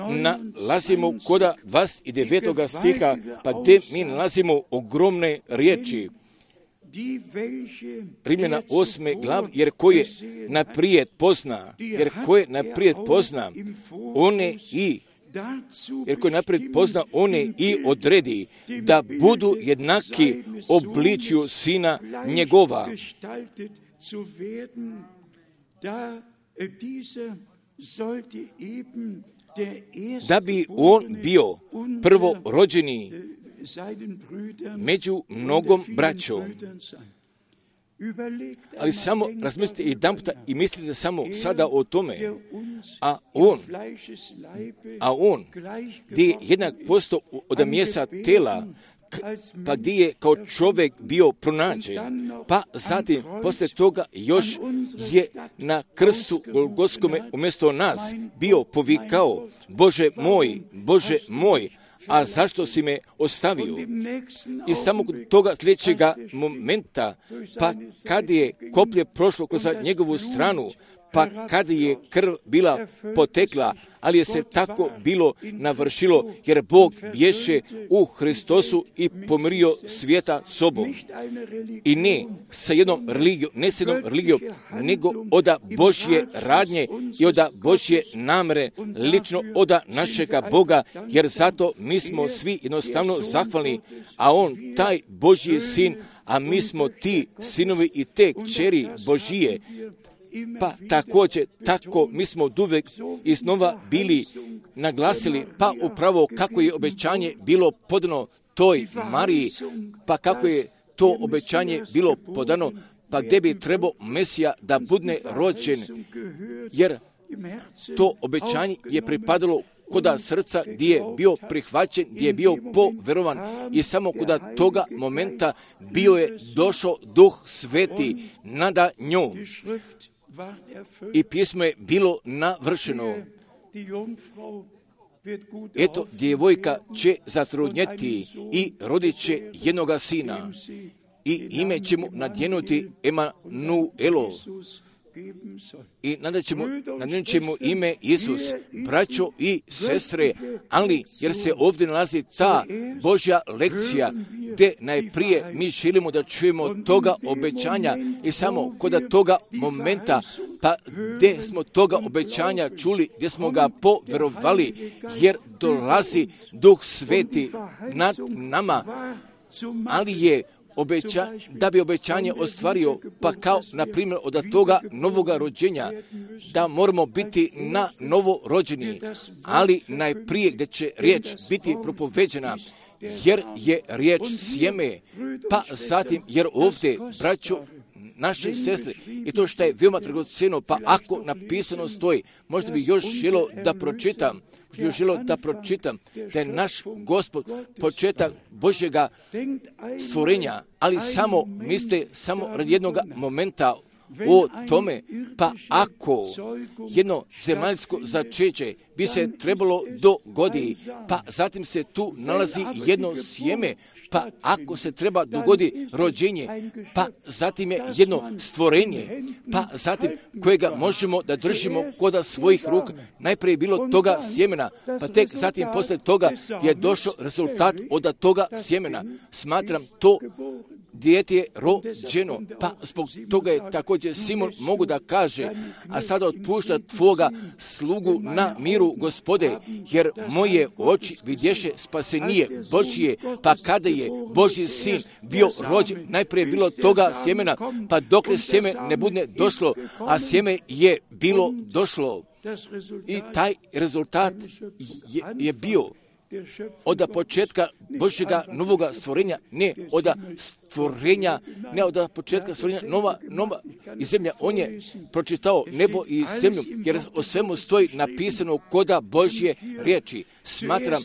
nalazimo koda dvadeset devetoga stiha, pa gdje mi nalazimo ogromne riječi. Rimljana osme glav, jer koje naprijed pozna, jer koje naprijed pozna, one i, jer koje naprijed pozna, one i odredi, da budu jednaki obličju Sina njegova. Da bi on bio prvorođeni među mnogom braćom. Ali samo razmislite jedan puta i mislite samo sada o tome. A on, a on, gdje je jednak posto od mjesta tela, pa gdje je kao čovjek bio pronađen, pa zatim poslije toga još je na krstu Golgotskome umjesto nas bio povikao, Bože moj, Bože moj, a zašto si me ostavio? I samo kod toga sljedećega momenta, pa kad je koplje prošlo kroz njegovu stranu, pa kada je krv bila potekla, ali je se tako bilo navršilo, jer Bog bješe u Hristosu i pomirio svijeta sobom. I ne sa jednom religijom, ne sa jednom religijom, nego oda Božje radnje i oda Božje namere, lično oda našega Boga, jer zato mi smo svi jednostavno zahvalni, a On, taj Božji sin, a mi smo ti sinovi i te kćeri Božije. Pa također, tako mi smo oduvek iznova bili naglasili, pa upravo kako je obećanje bilo podano toj Mariji, pa kako je to obećanje bilo podano, pa gdje bi trebao Mesija da bude rođen, jer to obećanje je pripadalo koda srca gdje je bio prihvaćen, gdje je bio poverovan i samo koda toga momenta bio je došao Duh Sveti nada njom. I pismo je bilo navršeno. Eto, djevojka će zatrudnjeti i rodit će jednoga sina i ime će mu nadjenuti Emanuelo. I nadat ćemo, nadat ćemo ime Isus, braćo i sestre, ali jer se ovdje nalazi ta Božja lekcija, gdje najprije mi želimo da čujemo toga obećanja i samo kod toga momenta, pa gdje smo toga obećanja čuli, gdje smo ga poverovali, jer dolazi Duh Sveti nad nama, ali je Obeća, da bi obećanje ostvario, pa kao, na primjer, od toga novoga rođenja, da moramo biti na novo rođeni, ali najprije gdje će riječ biti propoveđena, jer je riječ sjeme, pa zatim, jer ovdje, braćo, naše sestre, i to što je veoma dragocjeno, pa ako napisano stoji, možda bi još želo da pročitam, možda bi još želo da pročitam, da je naš Gospod početak Božjega stvorenja, ali samo, mislite, samo radi jednog momenta o tome, pa ako jedno zemaljsko začeće bi se trebalo dogodi, pa zatim se tu nalazi jedno sjeme, pa ako se treba dogodi rođenje, pa zatim je jedno stvorenje, pa zatim kojega možemo da držimo koda svojih ruka, najprije bilo toga sjemena, pa tek zatim posle toga je došao rezultat od toga sjemena. Smatram to dijete je rođeno, pa zbog toga je također Simon mogu da kaže, a sada otpušta tvoga slugu na miru Gospode, jer moje oči vidješe spasenije Božije, pa kada je Božji sin bio rođen, najprije bilo toga sjemena, pa dokle sjeme ne bude došlo, a sjeme je bilo došlo. I taj rezultat je, je bio od početka Božjega novoga stvorenja, ne od stvorenja, ne od početka stvorenja nova, nova i zemlja. On je pročitao nebo i zemlju, jer o svemu stoji napisano koda Božje riječi. Smatram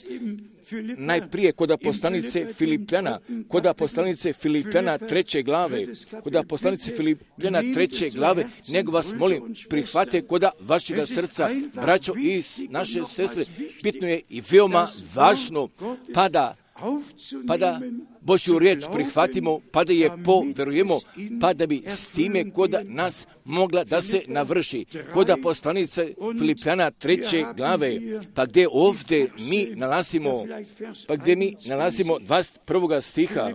najprije koda poslanice Filipljana, koda poslanice Filipljana treće glave, koda poslanice Filipljana treće glave, nego vas molim, prihvate koda vašega srca, braćo i naše sestre, bitno je i veoma važno, pa da, pa da Božju riječ prihvatimo, pa da je poverujemo, pa da bi s time koda nas mogla da se navrši. Koda poslanice Filipljana treće glave, pa gdje ovdje mi nalazimo, pa gdje mi nalazimo dvadeset prvog stiha,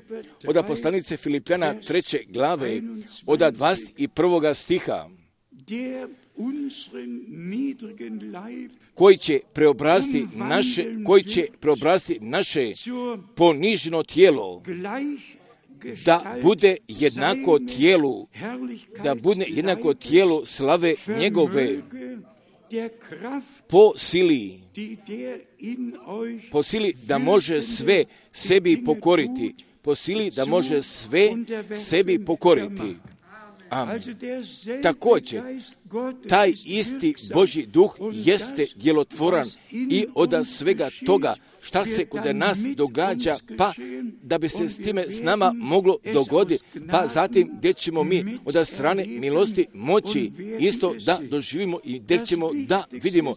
od poslanice Filipljana treće glave, od dvadeset prvog stiha, koji će preobraziti naše, koji će preobraziti naše poniženo tijelo, da bude jednako tijelu, da bude jednako tijelu slave njegove, po sili, po sili da može sve sebi pokoriti, po sili da može sve sebi pokoriti. Amen. Također, taj isti Božji duh jeste djelotvoran i od svega toga šta se kod nas događa, pa da bi se s time s nama moglo dogoditi, pa zatim gdje ćemo mi od strane milosti moći isto da doživimo i gdje ćemo da vidimo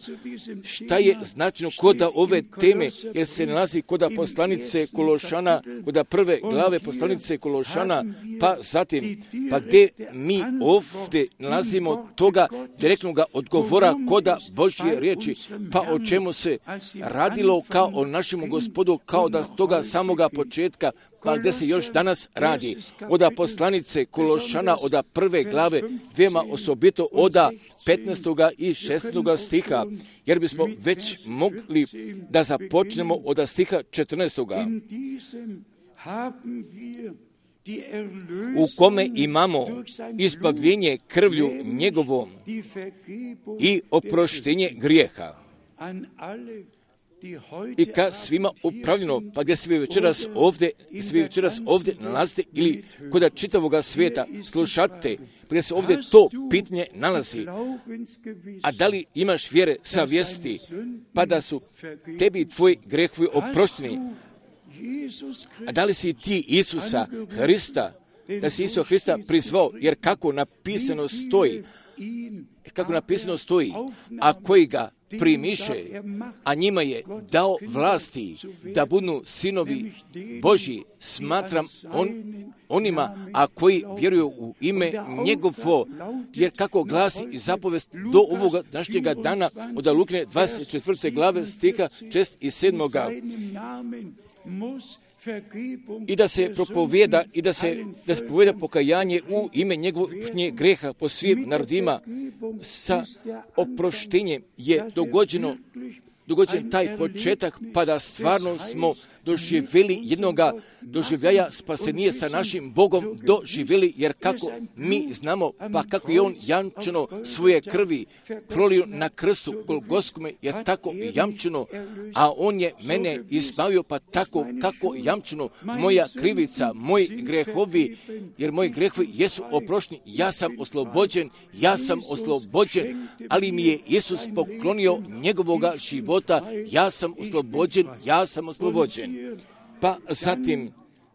šta je značajno kod ove teme, jer se nalazi kod poslanice Kološana, kod prve glave poslanice Kološana, pa zatim, pa gdje mi ovdje nalazimo toga toga direktnog odgovora koda Božje riječi. Pa o čemu se radilo kao o našemu Gospodu, kao da s toga samoga početka, pa gdje se još danas radi. Oda poslanice Kološana, oda prve glave, veoma osobito oda petnaestoga i šesnaestoga stiha, jer bismo već mogli da započnemo oda stiha četrnaestoga. U kome imamo izbavljenje krvlju njegovom i oproštenje grijeha. I ka svima upravljeno, pa gdje svi večeras ovdje, svi večeras ovdje nalazite ili kod čitavoga svijeta slušate, pa gdje se ovdje to pitanje nalazi. A da li imaš vjere savjesti, pa da su tebi tvoji grehovi oprošteni? A da li si ti Isusa Hrista, da si Isusa Hrista prizvao, jer kako napisano stoji, kako napisano stoji, a koji ga primiše, a njima je dao vlasti da budu sinovi Božji, smatram on, onima, a koji vjeruju u ime njegovo, jer kako glasi i zapovest do ovoga današnjega dana od Lukine dvadeset četvrte glave stiha šest i sedam. I da se propovijeda i da se, da se propovijeda pokajanje u ime njegovog greha po svim narodima. Sa oproštenjem je dogođeno, dogođen taj početak, pa da stvarno smo doživjeli jednoga doživljaja spasenije sa našim Bogom doživjeli, jer kako mi znamo, pa kako je on jamčeno svoje krvi prolio na krstu Golgotskome, jer tako jamčeno, a on je mene izbavio, pa tako kako jamčeno, moja krivica, moji grehovi, jer moji grehovi jesu oprošteni, ja sam oslobođen, ja sam oslobođen, ali mi je Isus poklonio njegovoga života, ja sam oslobođen, ja sam oslobođen. Pa zatim,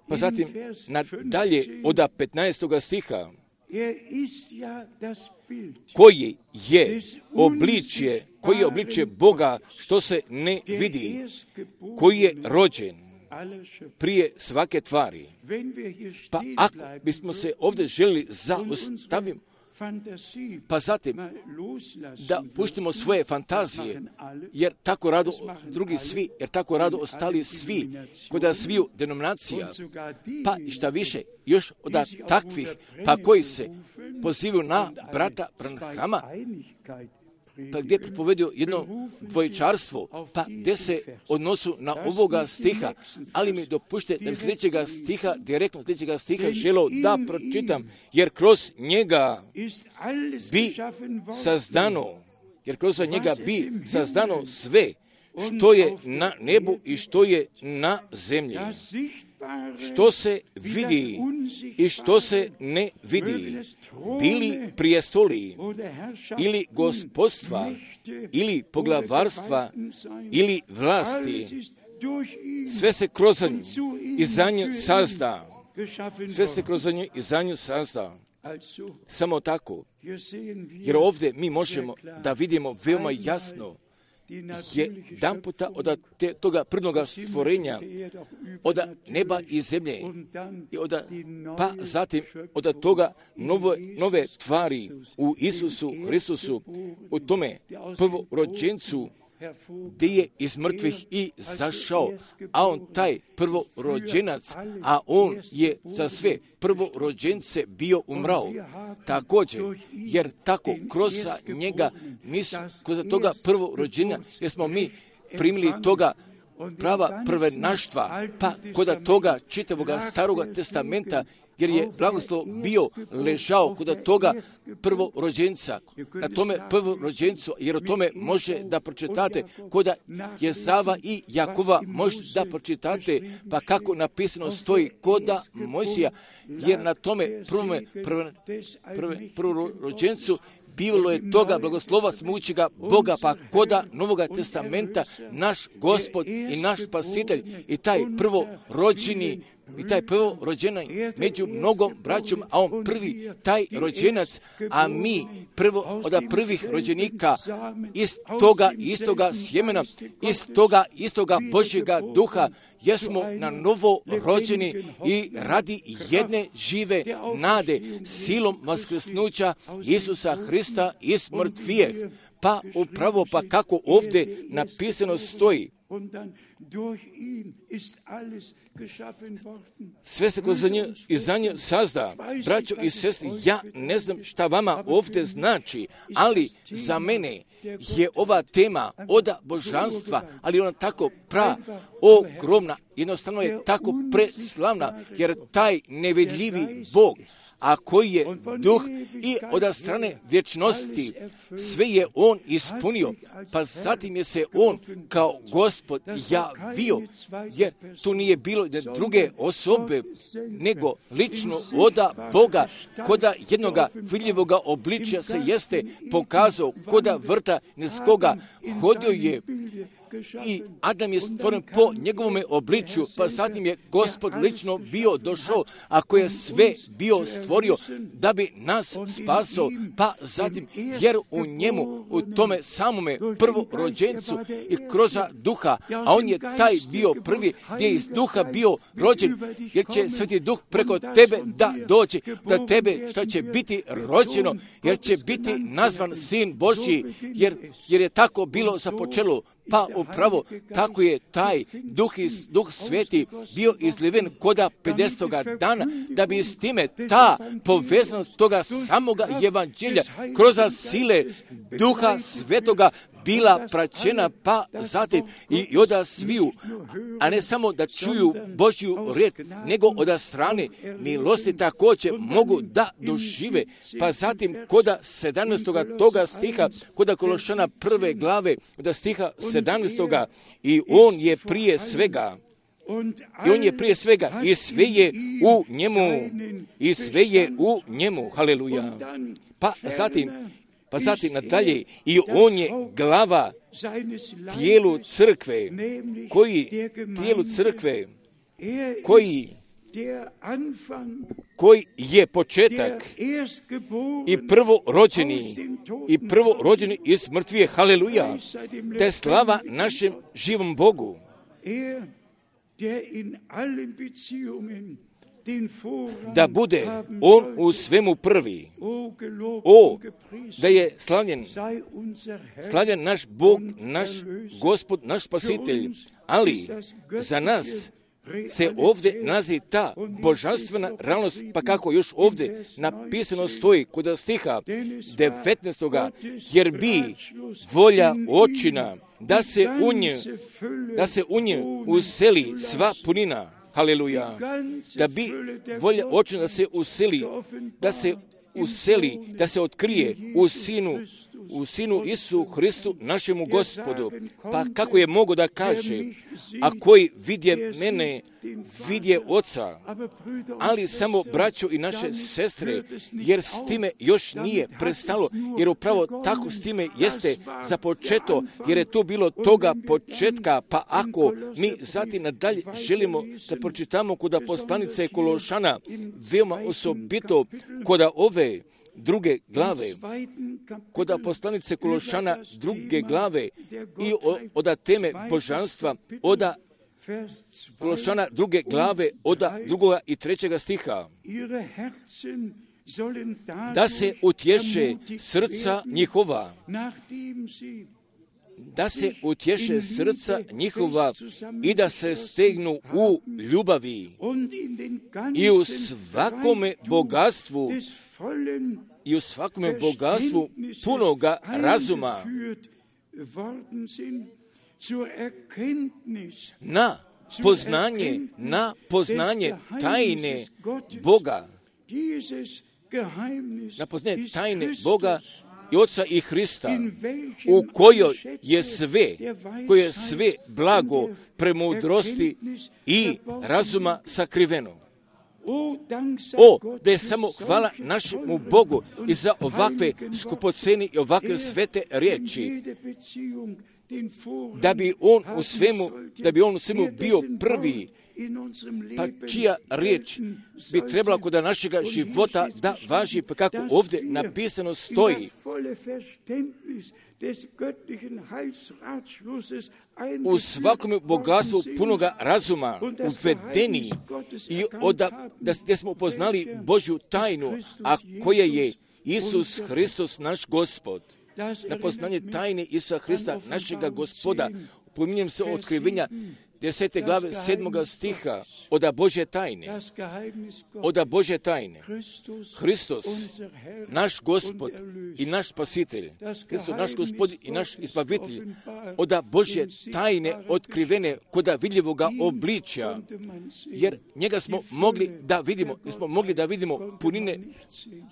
pa zatim nadalje od petnaestoga stiha, koji je obličje, koji je obličje Boga što se ne vidi, koji je rođen prije svake tvari. Pa ako bismo se ovdje želi zaustaviti, pa zatim da puštimo svoje fantazije, jer tako rado drugi svi, jer tako rado ostali svi, kod sviju denominacija, pa i šta više, još od takvih, pa koji se pozivaju na brata Branhama, pa gdje propovedio jedno dvojčarstvo, pa gdje se odnosu na ovoga stiha, ali mi dopušte da bi sljedećega stiha, direktno sljedećega stiha želo da pročitam, jer kroz njega bi sazdano, jer kroz njega bi sazdano sve što je na nebu i što je na zemlji, što se vidi i što se ne vidi, bili prijestoli ili gospodstva ili poglavarstva ili vlasti, sve se kroz nju i za nju sazda, sve se kroz nju i za nju sazda. Samo tako, jer ovdje mi možemo da vidimo veoma jasno je dan puta od te, toga prvnoga stvorenja, od neba i zemlje, i od, pa zatim od toga nove, nove tvari u Isusu Hristusu, u tome prvorođencu, gdje je iz mrtvih i zašao, a on taj prvorođenac, a on je za sve prvorođence bio umrao. Također, jer tako kroz njega, mi kroz toga prvorođenja, jer smo mi primili toga prava prvenaštva, pa kod toga čitavoga staroga testamenta, jer je blagoslov bio ležao kod toga prvorođenca, na tome prvorođencu, jer o tome može da pročitate kod Jezava i Jakova, može da pročitate, pa kako napisano stoji kod Mojsija, jer na tome prvome prve, prve, prvorođencu bilo je toga blagoslova smućega Boga, pa koda Novoga testamenta naš Gospod i naš Spasitelj i taj prvorođeni i taj prvorođenac među mnogom braćom, a on prvi, taj rođenac, a mi prvo od prvih rođenika iz toga istoga sjemena, iz toga istoga Božjega duha, jer smo na novo rođeni i radi jedne žive nade, silom vaskrsnuća Isusa Hrista iz mrtvijeh. Pa upravo pa kako ovdje napisano stoji, sve se kroz nje i za nje sazda. Braćo i sestri, ja ne znam šta vama ovdje znači, ali za mene je ova tema oda božanstva, ali ona tako pra ogromna, jednostavno je tako preslavna, jer taj nevidljivi Bog, a koji je duh i od strane vječnosti, sve je on ispunio, pa zatim je se on kao Gospod javio, jer tu nije bilo druge osobe, nego lično oda Boga, koda jednoga vidljivoga obličja se jeste pokazao, koda vrta neskoga, hodio je i Adam je stvoren po njegovome obličju, pa zatim je Gospod lično bio došao, a koji je sve bio stvorio da bi nas spasao, pa zatim, jer u njemu, u tome samome prvorođencu i kroz duha, a on je taj bio prvi gdje je iz duha bio rođen, jer će Sveti Duh preko tebe da dođe, da tebe što će biti rođeno, jer će biti nazvan Sin Božji, jer, jer je tako bilo započelo. Pa upravo tako je taj duh, duh sveti bio izliven koda pedesetoga dana, da bi s time ta povezanost toga samoga evanđelja kroz sile duha svetoga bila praćena, pa zatim i oda sviju, a ne samo da čuju Božju riječ, nego od strane milosti također mogu da dožive. Pa zatim koda sedamnaestoga toga stiha, koda Kološana prve glave, od stiha sedamnaestoga, i on je prije svega, i on je prije svega, i sve je u njemu, i sve je u njemu, haleluja. Pa zatim, Pa zatim nadalje, i on je glava tijelu crkve, koji tijelu crkve, koji, koji je početak i prvorođeni, i prvorođeni iz mrtvije, haleluja, te slava našem živom Bogu. Da bude on u svemu prvi. O, da je slavljen, slavljen naš Bog, naš Gospod, naš Spasitelj, ali za nas se ovdje nalazi ta božanstvena realnost, pa kako još ovdje napisano stoji kod stiha devetnaestoga, jer bi volja očina da se u nje, da se u nje useli sva punina, haleluja, da bi volja očina da se useli, da se useli, da se otkrije u Sinu, u Sinu Isu Hristu, našemu Gospodu. Pa kako je mogo da kaže, a koji vidje mene, vidje Oca, ali samo braćo i naše sestre, jer s time još nije prestalo, jer upravo tako s time jeste započeto, jer je tu bilo toga početka, pa ako mi zatim nadalje želimo da pročitamo kod poslanice Kološana, veoma osobito kod ove druge glave, kod poslanice Kološana druge glave i od teme božanstva, od Kološana druge glave, od drugoga i trećega stiha, da se utješe srca njihova, da se utješe srca njihova i da se stegnu u ljubavi i u svakome bogatstvu i u svakome bogatstvu punoga razuma na poznanje, na poznanje tajne Boga, na poznanje tajne Boga i Oca i Hrista, u kojoj je sve, koje je sve blago, premudrosti i razuma sakriveno. O, da je samo hvala našemu Bogu i za ovakve skupoceni i ovakve svete riječi. da bi on u svemu, da bi on u svemu bio prvi, pa čija riječ bi trebala kod našega života da važi, pa kako ovdje napisano stoji, u svakome bogatstvu punoga razuma uvedeni i oda, da, da smo upoznali Božju tajnu, a koja je Isus Hristos naš Gospod. Na poznanje tajne Isusa Hrista našega Gospoda, pominjem se otkrivenja desete glave sedmoga stiha, oda Božje tajne, oda Božje tajne, Hristos, naš Gospod i naš Spasitelj, Hristos, naš Gospod i naš Izbavitelj, oda Božje tajne otkrivene koda vidljivoga obličja, jer njega smo mogli da vidimo, nismo mogli da vidimo punine,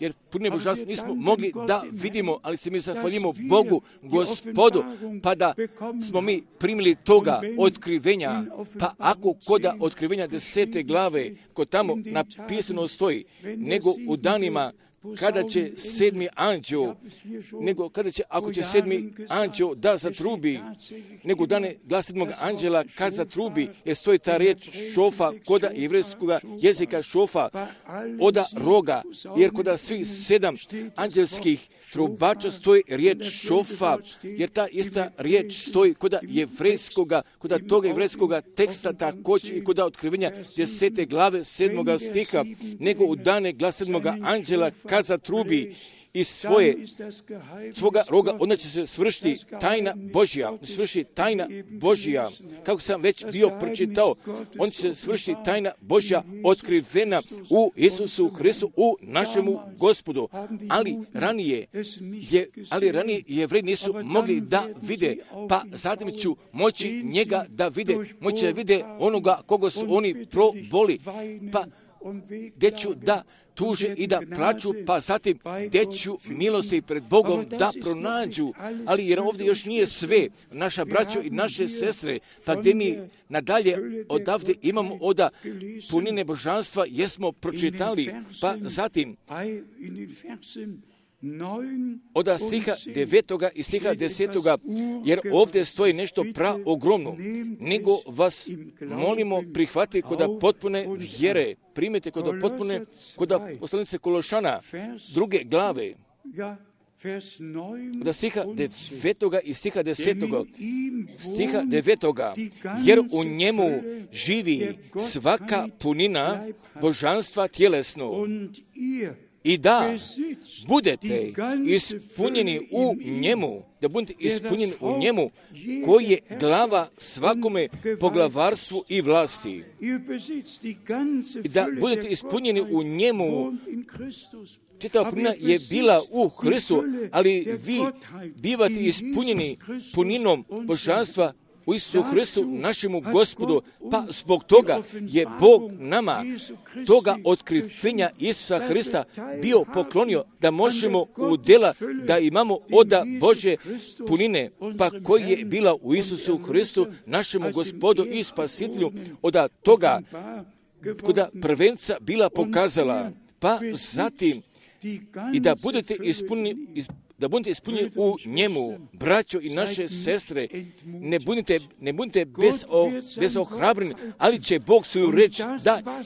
jer punine božanstva nismo mogli da vidimo, ali se mi zahvaljimo Bogu, Gospodu, pa da smo mi primili toga otkrivenja. Pa ako koda otkrivenja desete glave, kod tamo napisano stoji, nego u danima kada će sedmi anđeo, nego kada će, ako će sedmi anđeo da zatrubi, nego dane glas sedmog anđela kad zatrubi, jer stoji ta riječ šofa, koda jevrejskoga jezika šofa, oda roga, jer koda svih sedam anđelskih trubača stoji riječ šofa, jer ta ista riječ stoji koda jevrejskoga, koda toga jevrejskoga teksta također i koda otkrivenja desete glave sedmoga stiha, nego u dane glas sedmoga anđela kad zatrubi iz svoje, svoga roga, onda će se svršiti tajna Božja, svršiti tajna Božja, kako sam već bio pročitao, on će se svršiti tajna Božja otkrivena u Isusu Hristu, u našemu Gospodu, ali ranije je, ali ranije Jevreji nisu mogli da vide, pa zatim ću moći njega da vide, moći da vide onoga koga su oni proboli, pa gdje ću da tuže i da plaću, pa zatim gdje ću milosti pred Bogom da pronađu. Ali jer ovdje još nije sve, naša braćo i naše sestre, pa gdje mi nadalje odavde imamo oda punine božanstva, jesmo pročitali, pa zatim oda stiha devetoga i stiha desetoga, jer ovdje stoji nešto praogromno, nego vas molimo prihvati koda potpune vjere, primite koda potpune, koda poslanice Kološana, druge glave, oda stiha devetoga i stiha desetoga, stiha devetoga, jer u njemu živi svaka punina božanstva tjelesno, i da budete ispunjeni u njemu, da budete ispunjeni u njemu, koji je glava svakome poglavarstvu i vlasti. I da budete ispunjeni u njemu. Čitava punina je bila u Hristu, ali vi bivate ispunjeni puninom božanstva u Isusu Hristu, našemu Gospodu, pa zbog toga je Bog nama toga otkrivenja Isusa Hrista bio poklonio da možemo u djela da imamo oda Bože punine, pa koji je bila u Isusu Hristu, našemu Gospodu i Spasitelju, oda toga koda prvenca bila pokazala, pa zatim i da budete ispunjeni da budete ispunjeni u njemu, braćo i naše sestre, ne budite, ne budite bez, o, bez ohrabrini, ali će Bog svoju reč da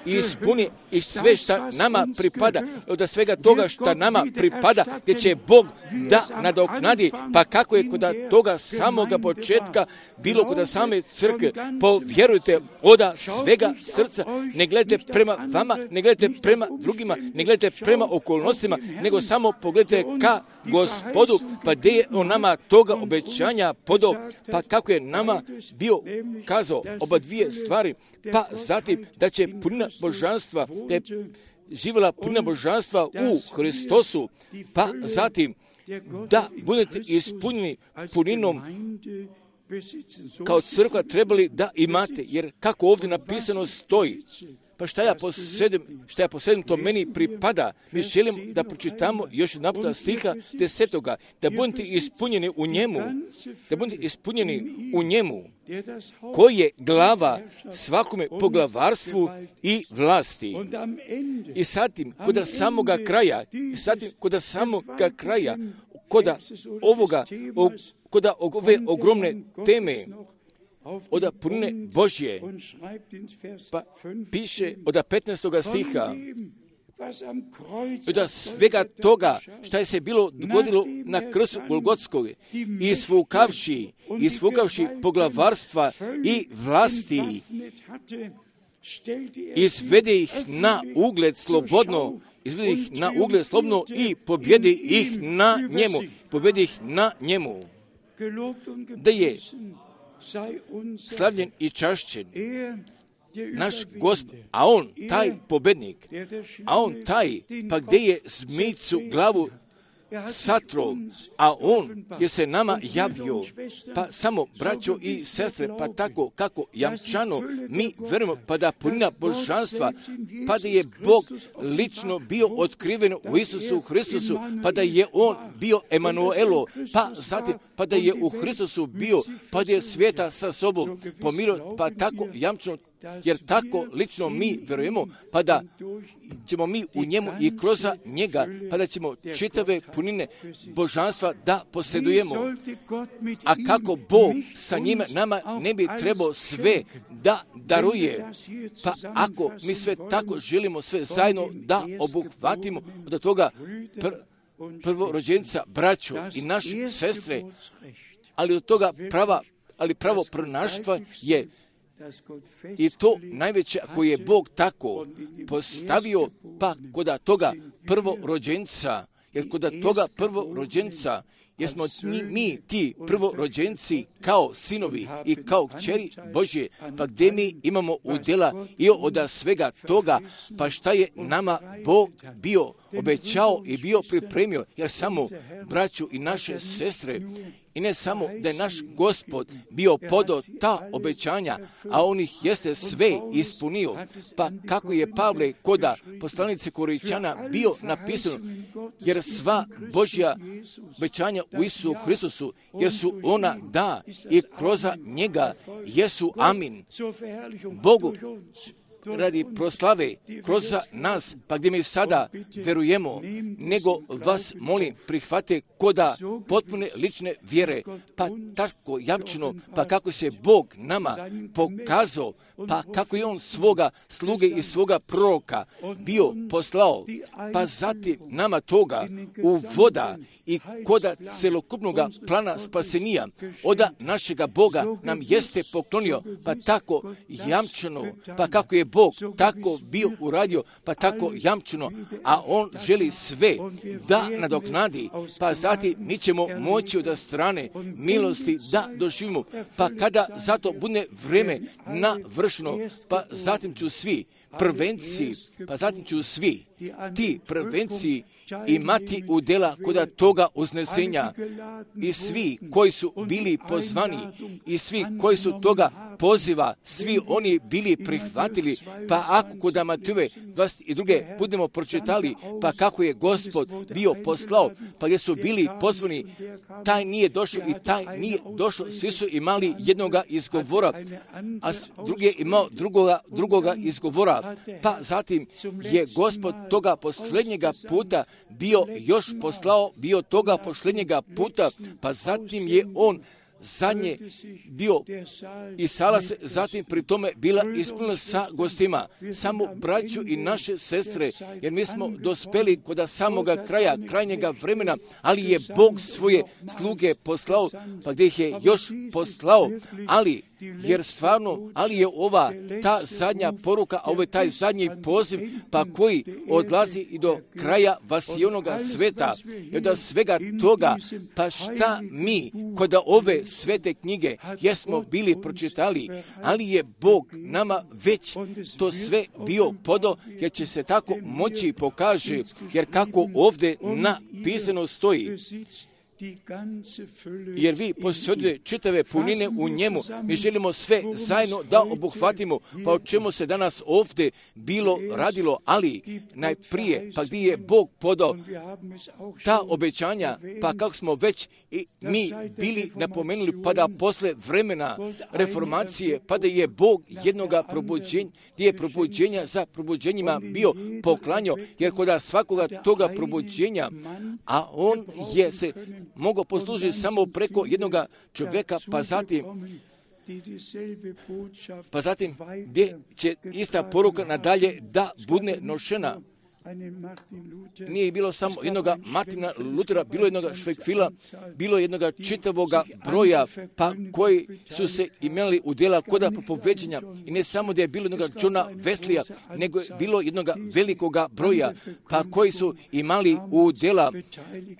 ispuni i sve šta nama pripada, od svega toga šta nama pripada, gdje će Bog da nadoknadi, pa kako je kod toga samoga početka bilo kod same crkve, povjerujte oda svega srca, ne gledajte prema vama, ne gledajte prema drugima, ne gledajte prema okolnostima, nego samo pogledajte ka Gospodu, pa gdje je on nama toga obećanja podao, pa kako je nama bio kazao oba dvije stvari, pa zatim da će punina božanstva, da je živjela punina božanstva u Hristosu, pa zatim da budete ispunjeni puninom kao crkva trebali da imate, jer kako ovdje napisano stoji, pa šta ja posedem, šta ja posedem, to meni pripada. Mi želim da pročitamo još jedan puta stiha desetoga, da budete ispunjeni u njemu, da budete ispunjeni u njemu, koji je glava svakome poglavarstvu i vlasti. I zatim, kod samoga kraja, i zatim, kod samoga kraja, koda ovoga, o, koda ove ogromne teme, od punine Božje, pa piše od petnaestog stiha, od svega toga šta je se bilo dogodilo na krstu Golgotskoj, isfukavši, isfukavši poglavarstva i vlasti, izvede ih na ugled slobodno, izvede ih na ugled slobodno i pobjedi ih na njemu, pobjedi ih na njemu, da je slavljen i čašćen naš Gospod, a on taj pobednik, a on taj, pa gdje je zmijcu glavu satro, a on je se nama javio, pa samo braćo i sestre, pa tako kako jamčano mi verujemo, pa da punina božanstva, pa da je Bog lično bio otkriven u Isusu Hristusu, pa da je on bio Emanuelo, pa zatim, pa da je u Hristusu bio, pa da je svijeta sa sobom pomirio, pa tako jamčano, jer tako lično mi verujemo, pa da ćemo mi u njemu i kroz njega, pa da ćemo čitave punine božanstva da posjedujemo. A kako Bog sa njima nama ne bi trebao sve da daruje, pa ako mi sve tako želimo sve zajedno da obuhvatimo od toga pr- prvorođenca, braćo i naše sestre, ali od toga prava, ali pravo prnaštva je i to najveće koje je Bog tako postavio, pa koda toga prvorođenca, jer koda toga prvorođenca, jer smo mi ti prvorođenci kao sinovi i kao kćeri Božje, pa gdje mi imamo udjela i od svega toga, pa šta je nama Bog bio obećao i bio pripremio, jer samo braću i naše sestre, i ne samo da je naš Gospod bio podao ta obećanja, a on ih jeste sve ispunio, pa kako je Pavle koda poslanice Korinćana bio napisano, jer sva Božja obećanja u Isusu Hristusu, jer su ona da i kroz njega jesu amin. Bogu radi proslave kroz nas, pa gdje mi sada verujemo, nego vas molim prihvate koda potpune lične vjere, pa tako jamčeno, pa kako se Bog nama pokazao, pa kako je on svoga sluge i svoga proroka bio poslao, pa zatim nama toga u voda i koda celokupnog plana spasenija oda našega Boga nam jeste poklonio, pa tako jamčeno, pa kako je Bog tako bio uradio, pa tako jamčeno, a on želi sve da nadoknadi, pa zatim mi ćemo moći od strane milosti da doživimo, pa kada zato bude vreme navršeno, pa zatim ću svi prvenci, pa zatim ću svi ti prvenci imati udjela koda toga uznesenja i svi koji su bili pozvani i svi koji su toga poziva, svi oni bili prihvatili, pa ako kod Matejove dvadeset druge budemo pročitali, pa kako je Gospod bio poslao, pa gdje su bili pozvani, taj nije došao i taj nije došao, svi su imali jednoga izgovora, a drugi je imao drugoga, drugoga izgovora, pa zatim je Gospod toga posljednjega puta bio još poslao, bio toga posljednjega puta, pa zatim je on zadnje bio i sala se zatim pri tome bila ispunjena sa gostima, samo braću i naše sestre, jer mi smo dospeli kod samoga kraja, krajnjega vremena, ali je Bog svoje sluge poslao, pa gdje ih je još poslao, ali jer stvarno, ali je ova ta zadnja poruka, a ovo je taj zadnji poziv, pa koji odlazi i do kraja vasionoga sveta, i od svega toga, pa šta mi kod ove svete knjige jesmo bili pročitali, ali je Bog nama već to sve bio podao, jer će se tako moći pokaže, jer kako ovdje napisano stoji, jer vi posjedujete čitave punine u njemu. Mi želimo sve zajedno da obuhvatimo, pa o čemu se danas ovdje bilo radilo, ali najprije, pa gdje je Bog podao ta obećanja, pa kako smo već i mi bili napomenuli, pa da posle vremena reformacije, pa da je Bog jednoga probuđenja, gdje je probuđenja za probuđenjima bio poklanjao, jer kod svakoga toga probuđenja, a on je se mogao poslužiti samo preko jednoga čovjeka, pa zatim pa zatim gdje će ista poruka nadalje da bude nošena. Nije bilo samo jednoga Martina Lutera, bilo jednoga Švekfila, bilo jednoga čitavoga broja, pa koji su se imali u djela koda propoveđenja. I ne samo da je bilo jednoga Johna Weslija, nego je bilo jednoga velikoga broja, pa koji su imali u djela,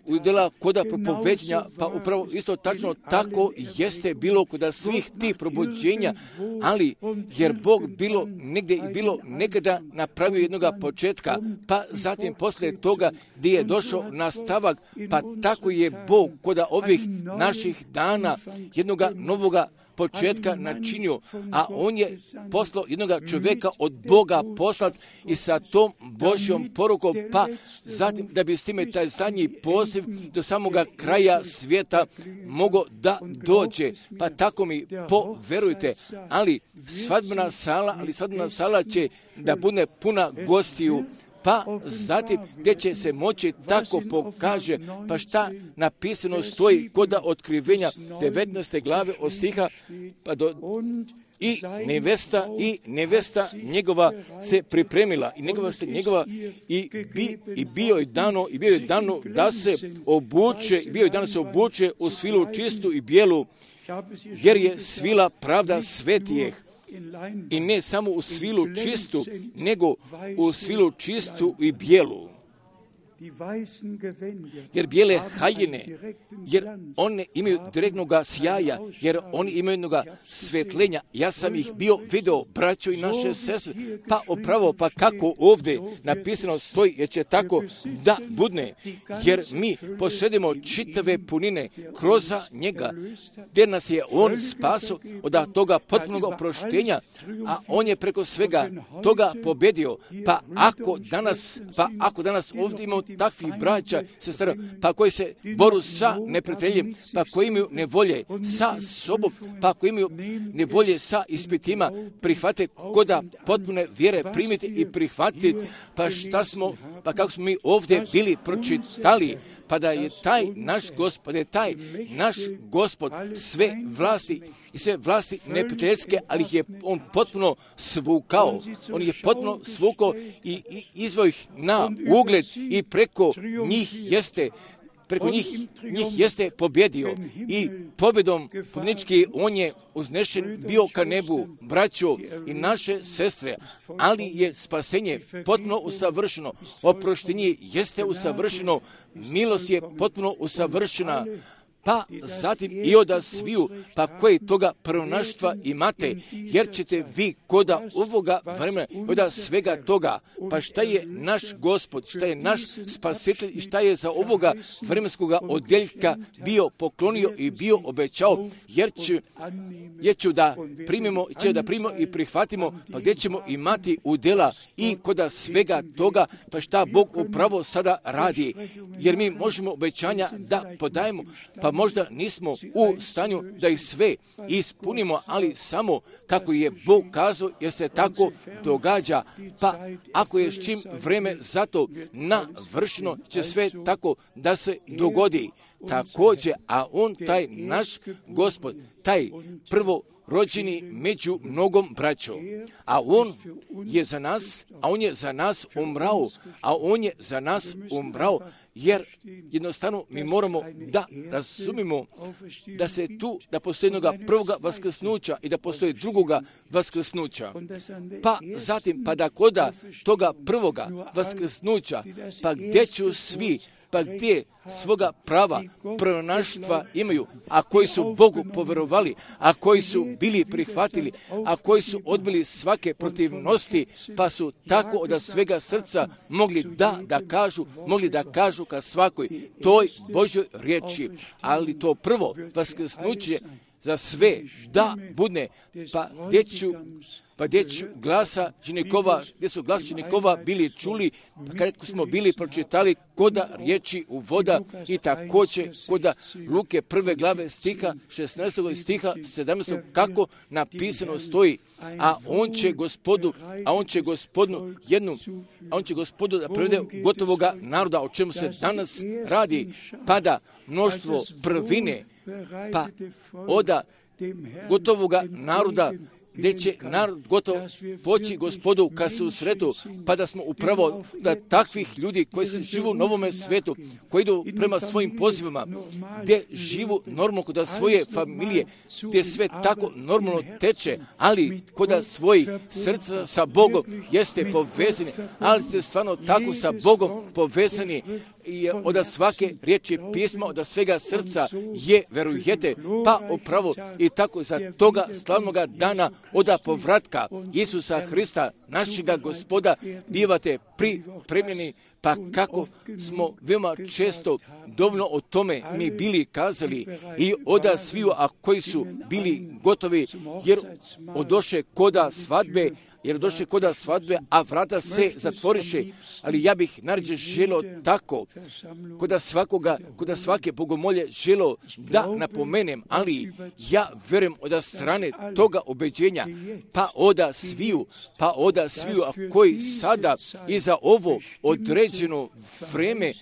u djela koda propoveđenja, pa upravo isto tačno tako jeste bilo koda svih tih probuđenja, ali jer Bog bilo negdje i bilo nekada napravio jednoga početka, pa zatim poslije toga gdje je došao nastavak, pa tako je Bog kod ovih naših dana jednoga novoga početka načinio, a on je poslao jednoga čovjeka od Boga poslat i sa tom Božjom porukom, pa zatim da bi s time taj zadnji poziv do samoga kraja svijeta mogao da dođe. Pa tako mi poverujte, ali svadbena sala, ali svadbena sala će da bude puna gostiju, pa zatim gdje će se moći tako pokaže, pa šta napisano stoji kod otkrivenja devetnaeste glave od stiha pa do i nevesta i nevesta njegova se pripremila i njegova se njegova i bi i bio je dano i bio je dano da se obuče i bio je dano se obuče u svilu čistu i bijelu, jer je svila pravda svetijeh. I ne samo u svilu čistu, nego u svilu čistu i bijelu. Jer bijele haljine, jer one imaju direktnog sjaja, jer oni imaju jednoga svetlenja. Ja sam ih bio video, braćo i naše sestre, pa opravo, pa kako ovdje napisano stoji, jer će tako da budne, jer mi posjedimo čitave punine kroz njega, gdje nas je on spaso od toga potpunog oproštenja, a on je preko svega toga pobedio. Pa ako danas, pa ako danas ovdje imamo takvih braća, sestra, pa koji se boru sa neprijateljem, pa koji imaju nevolje sa sobom, pa koji imaju nevolje sa ispitima, prihvate koda potpune vjere primiti i prihvatiti, pa šta smo, pa kako smo mi ovdje bili pročitali, pa da je taj naš Gospod, da je taj naš Gospod sve vlasti i sve vlasti neprijateljske, ali ih je on potpuno svukao. On je potpuno svukao i, i izveo ih na ugled i preko njih jeste preko njih, njih jeste pobjedio i pobjedom pobjednički on je uznešen bio ka nebu, braćo i naše sestre, ali je spasenje potpuno usavršeno, oproštenje jeste usavršeno, milost je potpuno usavršena, pa zatim i oda sviju, pa koji toga prvonaštva imate, jer ćete vi koda ovoga vremena, koda svega toga, pa šta je naš Gospod, šta je naš spasitelj i šta je za ovoga vremenskoga odjeljka bio poklonio i bio obećao, jer ću, jer ću da primimo, će da primimo i prihvatimo, pa gdje ćemo imati udjela i koda svega toga, pa šta Bog upravo sada radi, jer mi možemo obećanja da podajemo, pa možda nismo u stanju da ih sve ispunimo, ali samo kako je Bog kazao, jer se tako događa. Pa ako je s čim vreme zato navršeno, će sve tako da se dogodi. Također, a on, taj naš Gospod, taj prvo rođeni među mnogom braćom, a on je za nas, a on je za nas umrao, a on je za nas umrao, jer jednostavno mi moramo da razumimo da se tu, da postoji jednoga prvoga vaskrsnuća i da postoji drugoga vaskrsnuća. Pa zatim, pa da koda toga prvoga vaskrsnuća, pa gdje ću svi pa gdje svoga prava prvonaštva imaju, a koji su Bogu poverovali, a koji su bili prihvatili, a koji su odbili svake protivnosti, pa su tako od svega srca mogli da, da kažu, mogli da kažu ka svakoj toj Božjoj riječi. Ali to prvo vaskrsnuće za sve da budne, pa gdje ću Pa gdje ću glasa ženikova, gdje su glas ženikova bili čuli, pa kako smo bili pročitali koda riječi u voda i također koda Luke prve glave stiha šesnaestog stiha sedamnaestog kako napisano stoji, a on će gospodu, a on će gospodinu jednu, a on će gospodu da privede gotovoga naroda, o čemu se danas radi, pada mnoštvo prvine, pa oda gotovoga naroda, gdje će narod gotov poći gospodu ka se u sretu, pa da smo upravo da takvih ljudi koji se živu u novome svetu, koji idu prema svojim pozivima, gdje živu normalno kod svoje familije, gdje sve tako normalno teče, ali kod svojih srca sa Bogom jeste povezani, ali ste stvarno tako sa Bogom povezani i od svake riječi pisma, od svega srca je, verujete, pa upravo i tako za toga slavnoga dana oda povratka Isusa Hrista, našega Gospoda, bivate pripremljeni, pa kako smo veoma često dovoljno o tome mi bili kazali i oda sviju, a koji su bili gotovi, jer odoše koda svadbe, jer došli koda svadbe, a vrata se zatvoriše, ali ja bih naređe želo tako, koda svakoga, koda svake bogomolje želo da napomenem, ali ja verujem od strane toga obeđenja, pa oda sviju, pa oda sviju, a koji sada i za ovo određeno vreme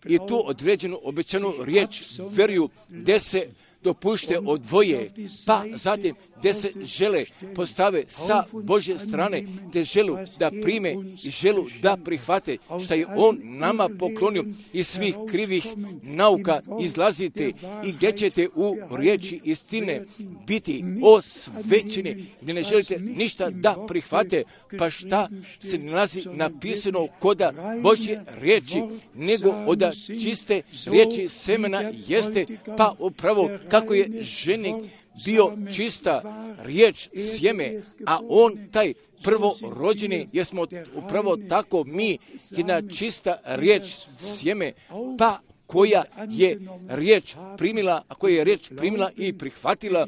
i tu određenu obećanu riječ veruju, gdje se dopušte odvoje, pa zatim gdje se žele postave sa Božje strane, gdje želu da prime i želu da prihvate što je On nama poklonio iz svih krivih nauka izlazite i gdje ćete u riječi istine biti osvećeni, gdje ne želite ništa da prihvate, pa šta se nalazi napisano koda Božje riječi, nego od čiste riječi semena jeste, pa upravo kako je ženik bio čista riječ sjeme, a on taj prvorođeni, jer smo upravo tako mi, jedna čista riječ sjeme, pa koja je riječ primila, a koja je riječ primila i prihvatila,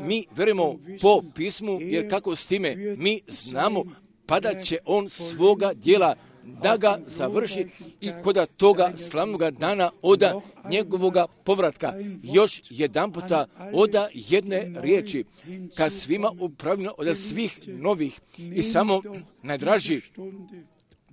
mi verujemo po pismu, jer kako s time mi znamo, pa da će on svoga djela da ga završi i koda toga slavnoga dana oda njegovoga povratka. Još jedan puta oda jedne riječi, kad svima upravljeno od svih novih i samo najdraži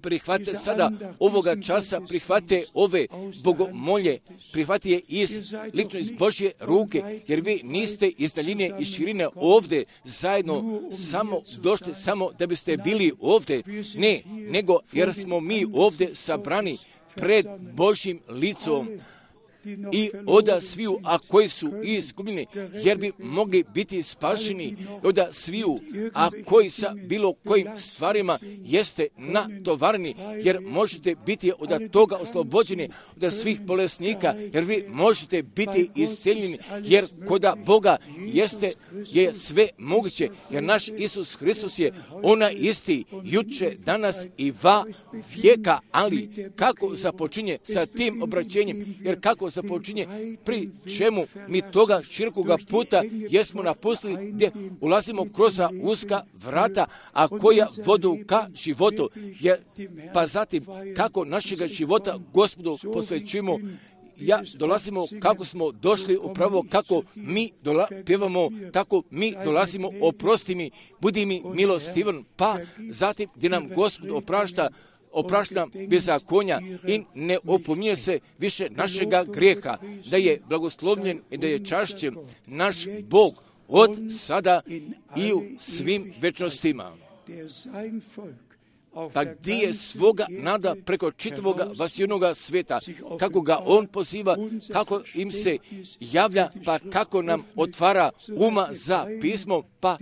prihvate sada ovoga časa, prihvate ove bogomolje, prihvate je iz, lično iz Božje ruke, jer vi niste iz daljine i širine ovdje zajedno samo došli, samo da biste bili ovdje, ne, nego jer smo mi ovdje sabrani pred Božjim licom i oda sviju, a koji su izgubljeni, jer bi mogli biti spašeni, oda sviju, a koji sa bilo kojim stvarima jeste natovarni, jer možete biti od toga oslobođeni, od svih bolesnika, jer vi možete biti isceljeni, jer koda Boga jeste, je sve moguće, jer naš Isus Hristos je ona isti, juče, danas i va vijeka, ali kako započinje sa tim obraćenjem, jer kako započinje, pri čemu mi toga širokoga puta jesmo napustili, gdje ulazimo kroz uska vrata, a koja vodu ka životu, jer, pa zatim kako našega života Gospodu posvećujemo, ja dolazimo kako smo došli, upravo kako mi dola, pjevamo, kako mi dolazimo, oprosti mi, budi mi milostivan, pa zatim gdje nam Gospod oprašta, oprašta bezakonja i ne opominje se više našega grijeha, da je blagoslovljen i da je čašćen naš Bog od sada i u svim večnostima. Pa gdje je svoga nada preko čitavoga vasijenoga sveta, kako ga on poziva, kako im se javlja, pa kako nam otvara uma za pismo, pa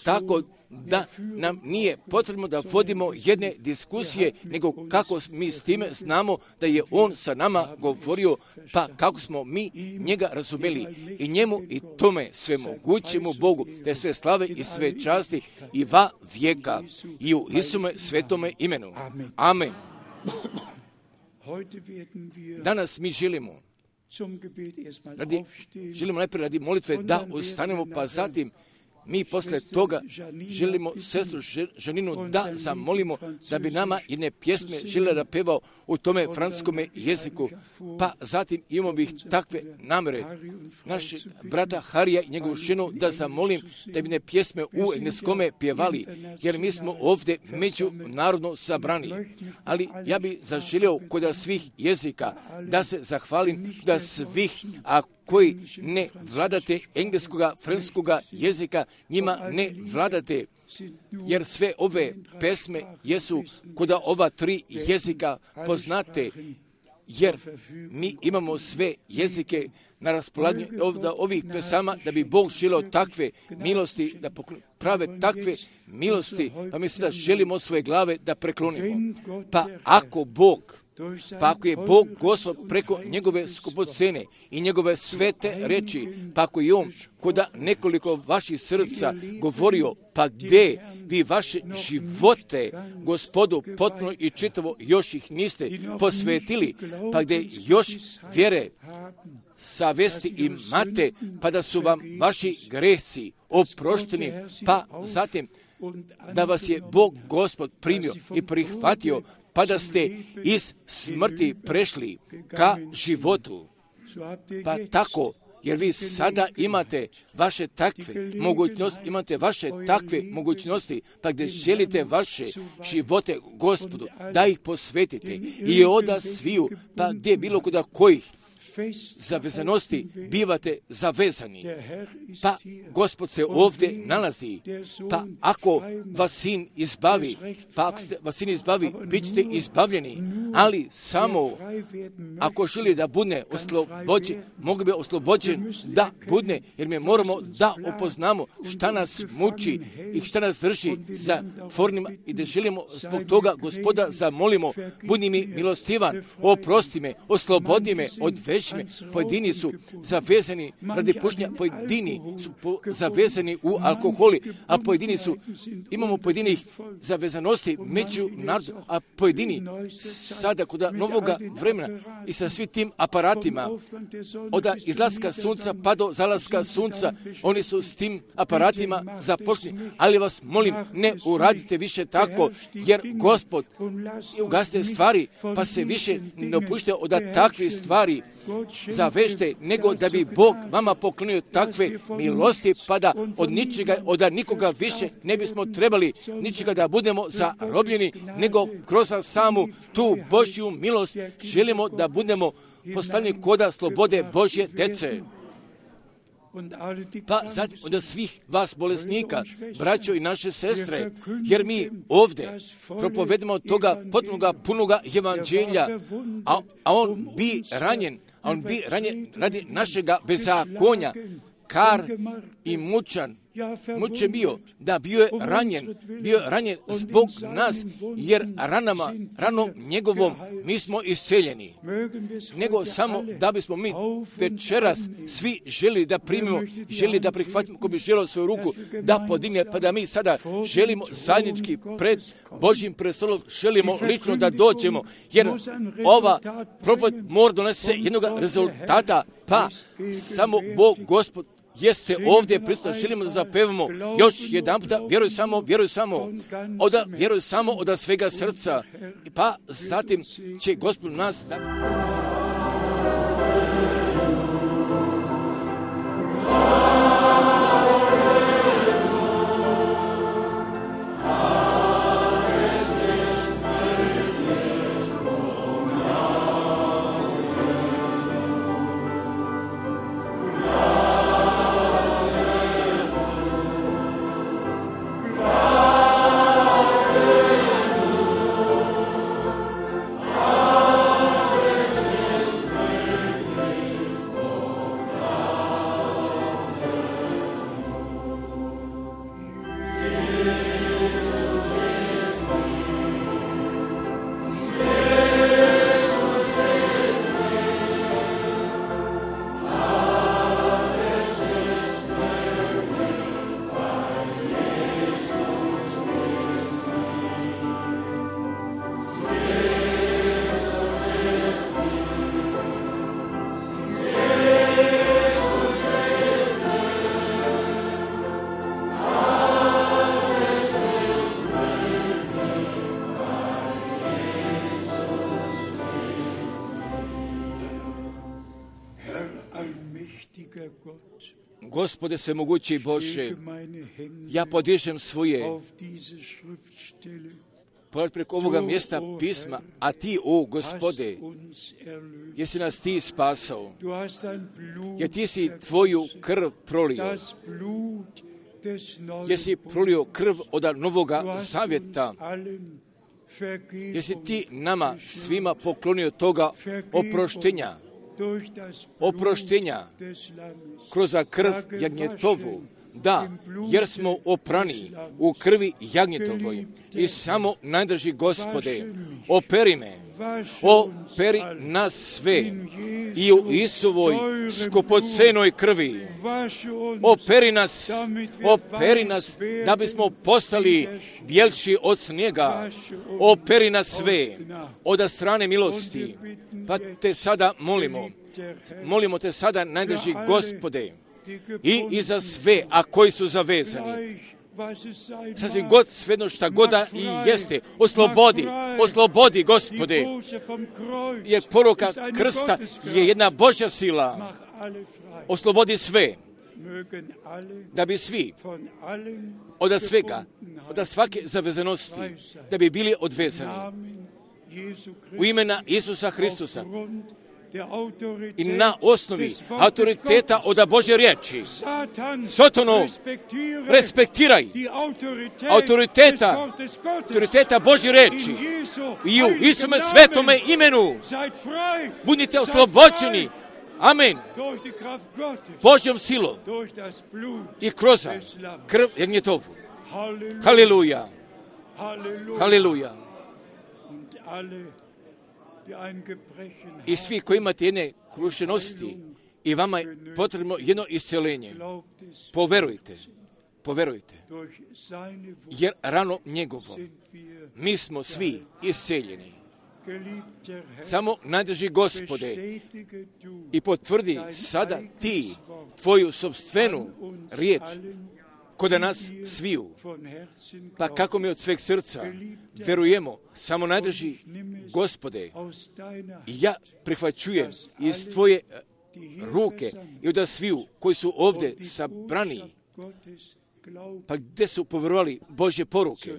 tako da nam nije potrebno da vodimo jedne diskusije, nego kako mi s time znamo da je On sa nama govorio, pa kako smo mi njega razumeli i njemu i tome sve mogućemu Bogu, te sve slave i sve časti i va vijeka i u Isume svetome imenu. Amen. Danas mi želimo radi, želimo najprije radi molitve da ustanemo, pa zatim mi posle toga želimo sestru Žaninu da zamolimo da bi nama jedne pjesme željela da peva u tome francuskome jeziku. Pa zatim imamo bih takve namere našeg brata Harija i njegovu ženu da zamolim da bi ne pjesme u engleskome pjevali, jer mi smo ovdje međunarodno sabrani. Ali ja bih zaželio kod svih jezika da se zahvalim da svih, a koji ne vladate engleskoga, francuskoga jezika, njima ne vladate, jer sve ove pesme jesu kod ova tri jezika poznate, jer mi imamo sve jezike na raspolaganju od ovih pesama, da bi Bog želio takve milosti, da prave takve milosti, pa mi sada želimo svoje glave da preklonimo. Pa ako Bog, pa ako je Bog Gospod preko njegove skupocene i njegove svete reči, pa ako je On kod nekoliko vaših srca govorio, pa gdje vi vaše živote Gospodu potpuno i čitavo još ih niste posvetili, pa gdje još vjere, savesti imate, pa da su vam vaši gresi oprošteni, pa zatim da vas je Bog Gospod primio i prihvatio, pa da ste iz smrti prešli ka životu. Pa tako, jer vi sada imate vaše takve mogućnosti, imate vaše takve mogućnosti, pa gdje želite vaše živote Gospodu, da ih posvetite i oda sviju, pa gdje bilo kuda kojih zavezanosti bivate zavezani. Pa Gospod se ovdje nalazi. Pa ako vas Sin izbavi, pa ako se vas Sin izbavi, bit ćete izbavljeni. Ali samo ako želi da bude oslobođen, mogu bi oslobođen da bude, jer mi moramo da upoznamo šta nas muči i šta nas drži za tvornima i da želimo zbog toga Gospoda zamolimo, budi mi milostivan, oprosti me, oslobodi me, odveži me. Pojedini su zavezani radi pušenja, pojedini su po, zavezani u alkoholi, a pojedini su, imamo pojedinih zavezanosti među narodom, a pojedini sada kod novoga vremena i sa svim tim aparatima, od izlaska sunca pa do zalaska sunca, oni su s tim aparatima zapošljeni, ali vas molim, ne uradite više tako, jer Gospod ugasite stvari, pa se više ne opušte od takvih stvari zavežite, nego da bi Bog vama poklonio takve milosti, pa da od ničega, od nikoga više ne bismo trebali ničega da budemo zarobljeni, nego kroz samu tu Božju milost želimo da budemo postavljeni koda slobode Božje dece. Pa zatim od svih vas bolesnika, braćo i naše sestre, jer mi ovdje propovedemo toga potpunoga punoga evanđelja, a, a on bi ranjen, a on bi ranjen radi našega bezakonja, kar i mučan, mučen bio, da bio je ranjen, bio je ranjen zbog nas, jer ranama, ranom njegovom mi smo isceljeni. Nego samo da bismo mi večeras svi želi da primimo, želi da prihvatimo, ko bi želio svoju ruku da podigne, pa da mi sada želimo zajednički pred Božjim prestolom, želimo lično da dođemo, jer ova propoved mora donese jednog rezultata, pa samo Bog, Gospod, jeste ovdje prisutan, želimo da zapevamo još jedan puta, vjeruj samo, vjeruj samo, oda, vjeruj samo od svega srca, pa zatim će Gospod nas da... Gospode svemogući Bože, ja podižem svoje pored preko ovoga mjesta pisma, a Ti, o Gospode, jesi nas Ti spasao, jer Ti si Tvoju krv prolio, jesi prolio krv od Novoga Zavjeta, jesi Ti nama svima poklonio toga oproštenja, oproštenja kroz krv jagnjetovu. Da, jer smo oprani u krvi jagnjetovoj. I samo najdrži Gospode, operi me, operi nas sve i u Isuvoj skupocenoj krvi. Operi nas, operi nas da bismo postali bjelši od snijega. Operi nas sve od strane milosti. Pa te sada molimo, molimo te sada najdrži Gospode, i, i za sve, a koji su zavezani. Sasvim god, svejedno šta god da i jeste, oslobodi, oslobodi Gospode, jer poruka krsta je jedna Božja sila. Oslobodi sve, da bi svi od svega, od svake zavezanosti, da bi bili odvezani. U imena Isusa Hristusa, i na osnovi autoriteta od Božje riječi. Sotonu, respektiraj autoriteta, autoriteta Božje riječi i u Isome svetome imenu budite oslobođeni. Amen. Božjom silom i kroz krv jagnjetovu. Haleluja. Haleluja. I svi koji imate jedne krušenosti i vama je potrebno jedno isceljenje, poverujte, poverujte, jer rano njegovo mi smo svi isceljeni. Samo najdrži Gospode i potvrdi sada Ti Tvoju sopstvenu riječ kod nas sviju. Pa kako mi od sveg srca verujemo, samo najdrži Gospode, ja prihvaćujem iz Tvoje ruke i od sviju koji su ovdje sabrani, pa gdje su povjerovali Božje poruke,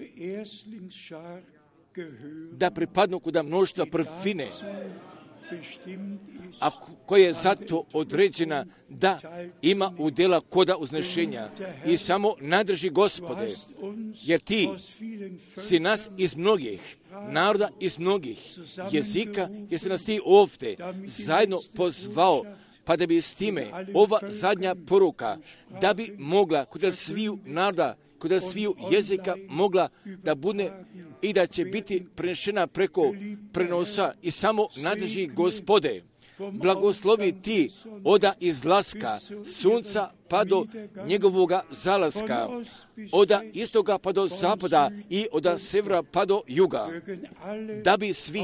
da pripadnu kod mnoštva prvine, a koja je zato određena da ima udjela koda uznešenja. I samo nadrži Gospode, jer Ti si nas iz mnogih naroda, iz mnogih jezika, jer si nas Ti ovdje zajedno pozvao, pa da bi s time ova zadnja poruka, da bi mogla kod sviju naroda, kod sviju jezika mogla da bude i da će biti prenešena preko prenosa. I samo nadrži Gospode, blagoslovi Ti oda izlaska sunca pa do njegovoga zalaska, oda istoga pa do zapada i oda severa pa do juga, da bi svi,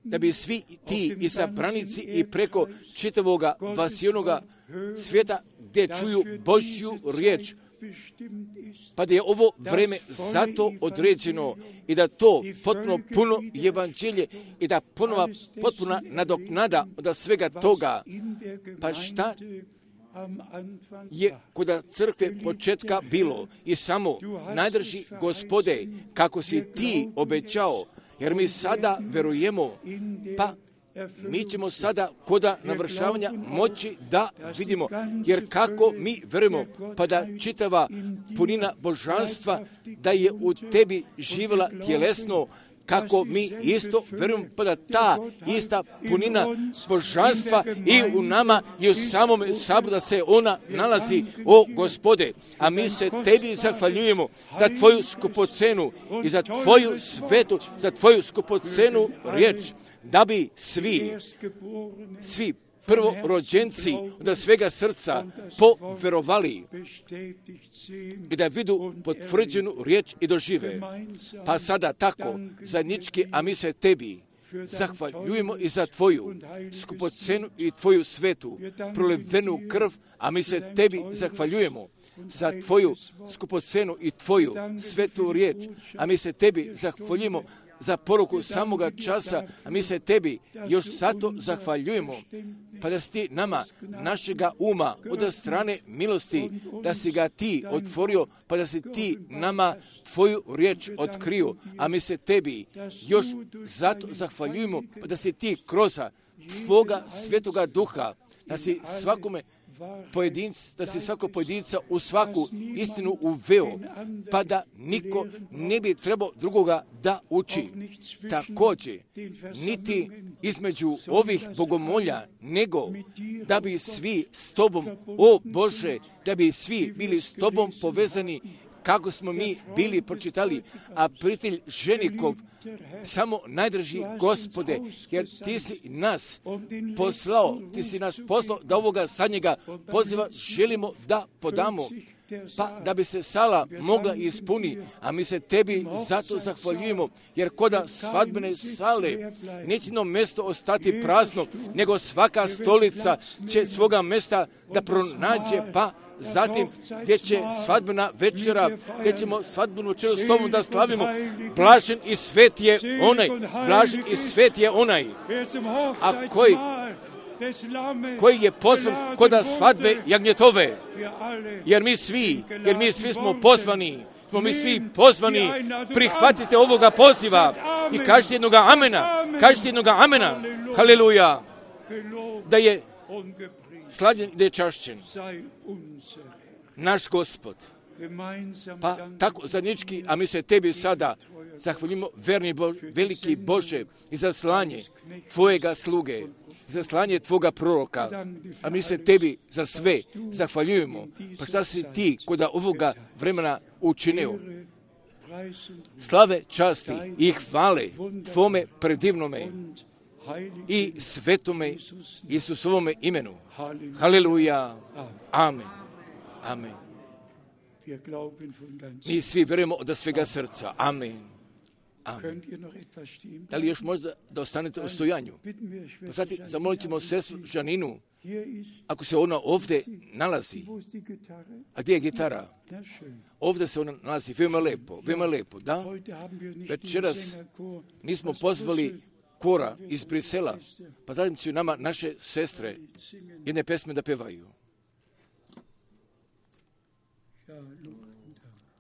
da bi svi ti izabranici i preko čitavoga vasijonoga svijeta gdje čuju Božju riječ, pa da je ovo vreme zato određeno i da to potpuno puno evanđelje i da ponova potpuna nadoknada od svega toga. Pa šta je kod crkve početka bilo i samo najdrži Gospode kako si Ti obećao, jer mi sada verujemo, pa mi ćemo sada koda navršavanja moći da vidimo, jer kako mi verujemo, pa da čitava punina božanstva da je u Tebi živjela tjelesno, kako mi isto verujemo, pa da ta ista punina božanstva i u nama i u samome saboru da se ona nalazi, o Gospode. A mi se Tebi zahvaljujemo za Tvoju skupocenu i za Tvoju svetu, za Tvoju skupocenu riječ, da bi svi, svi prvorođenci od svega srca poverovali i da vidu potvrđenu riječ i dožive. Pa sada tako, zajednički, a mi se Tebi zahvaljujemo i za Tvoju skupocenu i Tvoju svetu, prolivenu krv, a mi se Tebi zahvaljujemo za Tvoju skupocenu i Tvoju svetu riječ, a mi se Tebi zahvaljujemo za poruku samoga časa, a mi se tebi još zato zahvaljujemo, pa da si ti nama, našega uma, od strane milosti, da si ga ti otvorio, pa da si ti nama tvoju riječ otkrio, a mi se tebi još zato zahvaljujemo, pa da si ti kroz tvoga svetoga duha, da si svakome pojedinc, da si svako pojedinca u svaku istinu uveo, pa da niko ne bi trebao drugoga da uči. Također, niti između ovih bogomolja, nego da bi svi s tobom, o Bože, da bi svi bili s tobom povezani, kako smo mi bili pročitali, a prijatelj ženikov, samo najdraži Gospode, jer ti si nas poslao, ti si nas poslao da ovoga zadnjega poziva želimo da podamo, pa da bi se sala mogla ispuni, a mi se tebi zato zahvaljujemo, jer koda svadbene sale neće no mjesto ostati prazno, nego svaka stolica će svoga mjesta da pronađe, pa zatim gdje će svadbena večera, gdje ćemo svadbenu večeru s tobom da slavimo, blažen i svet je onaj, blažen i svet je onaj, a koji koji je pozvan koda svadbe jagnjetove, jer mi svi, jer mi svi smo pozvani, smo mi svi pozvani, prihvatite ovoga poziva i kažite jednoga amena, kažite jednoga amena, haleluja, da je slavljen i da je čašćen naš Gospod. Pa tako zajednički, a mi se tebi sada zahvaljujemo, verni Bože, veliki Bože, i za slanje tvojega sluge, za slanje tvoga proroka, a mi se tebi za sve zahvaljujemo. Pa šta si ti koda ovoga vremena učinio? Slave, časti i hvale tvome predivnome i svetome Isusovome imenu. Haleluja. Amen. Amen. Mi svi vjerujemo od svega srca. Amen. Amen. Da li još možda da ostanete u stojanju? Pa sad zamolit ćemo sestru Žaninu, ako se ona ovdje nalazi. A gdje je gitara? Ovdje se ona nalazi, veoma lepo, veoma lepo, da? Večeras nismo pozvali kora iz Brisela, pa dajem ću nama naše sestre jedne pesme da pevaju.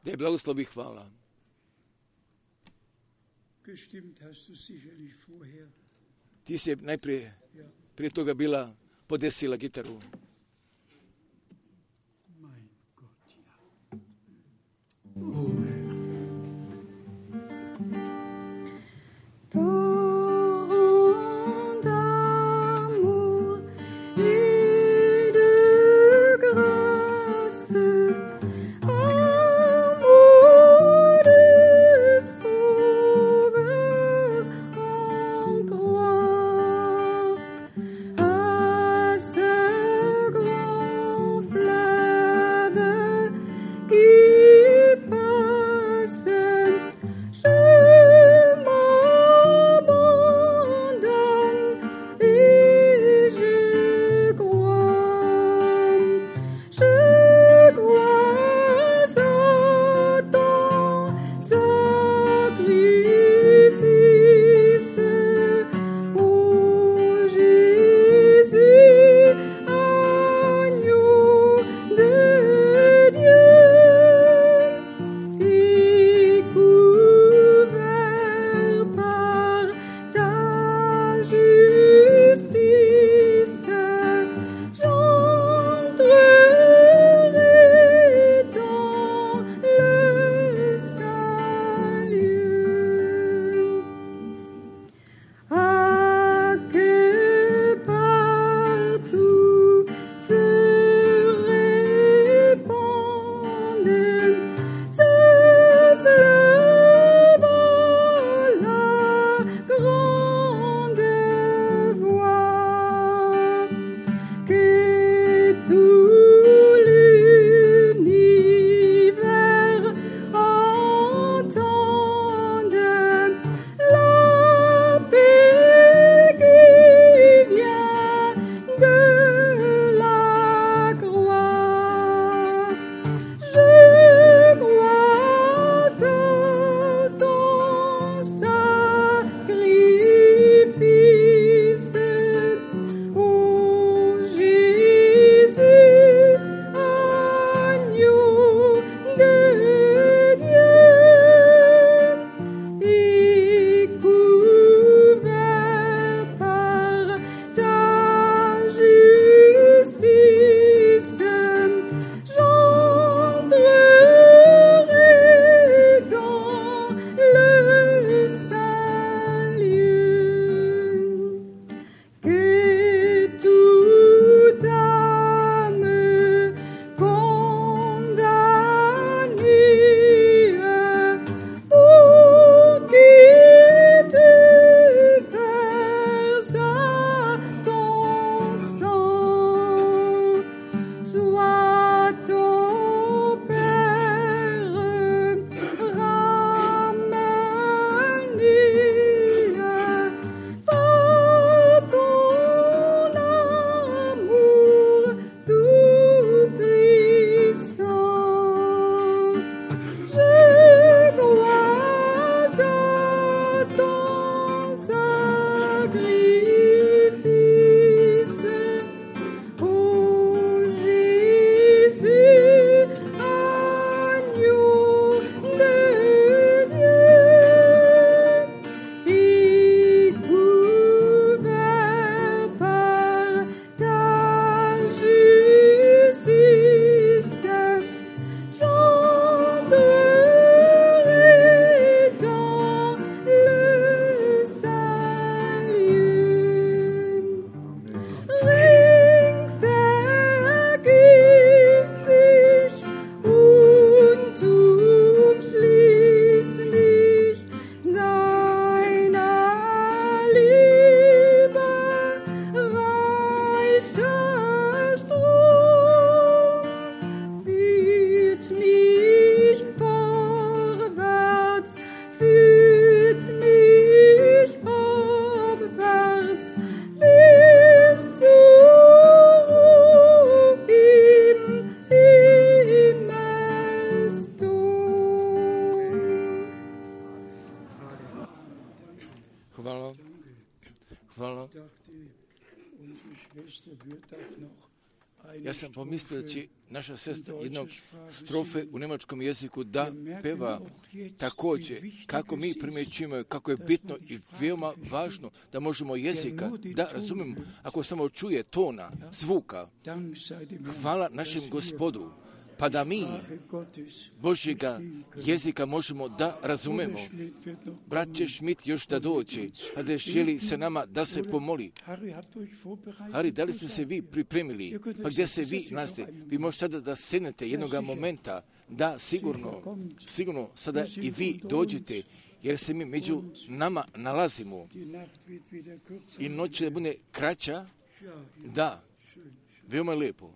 Da je blagoslovi hvala. Ti si najprije prije toga bila podesila gitaru. À ce Ja sam pomislio da će naša sestra jednog strofe u njemačkom jeziku da peva također, kako mi primjećujemo, kako je bitno i veoma važno da možemo jezika da razumijemo, ako samo čuje tona, zvuka. Hvala našem Gospodu, pa da mi Božjega jezika možemo da razumemo. Brat će Šmit još da dođe, pa da želi se nama da se pomoli. Hari, da li ste se vi pripremili? Pa gdje se vi nalazite? Vi možete sada da sednete jednoga momenta, da sigurno, sigurno sada i vi dođete, jer se mi među nama nalazimo. I noć će da bude kraća, da, veoma je lijepo.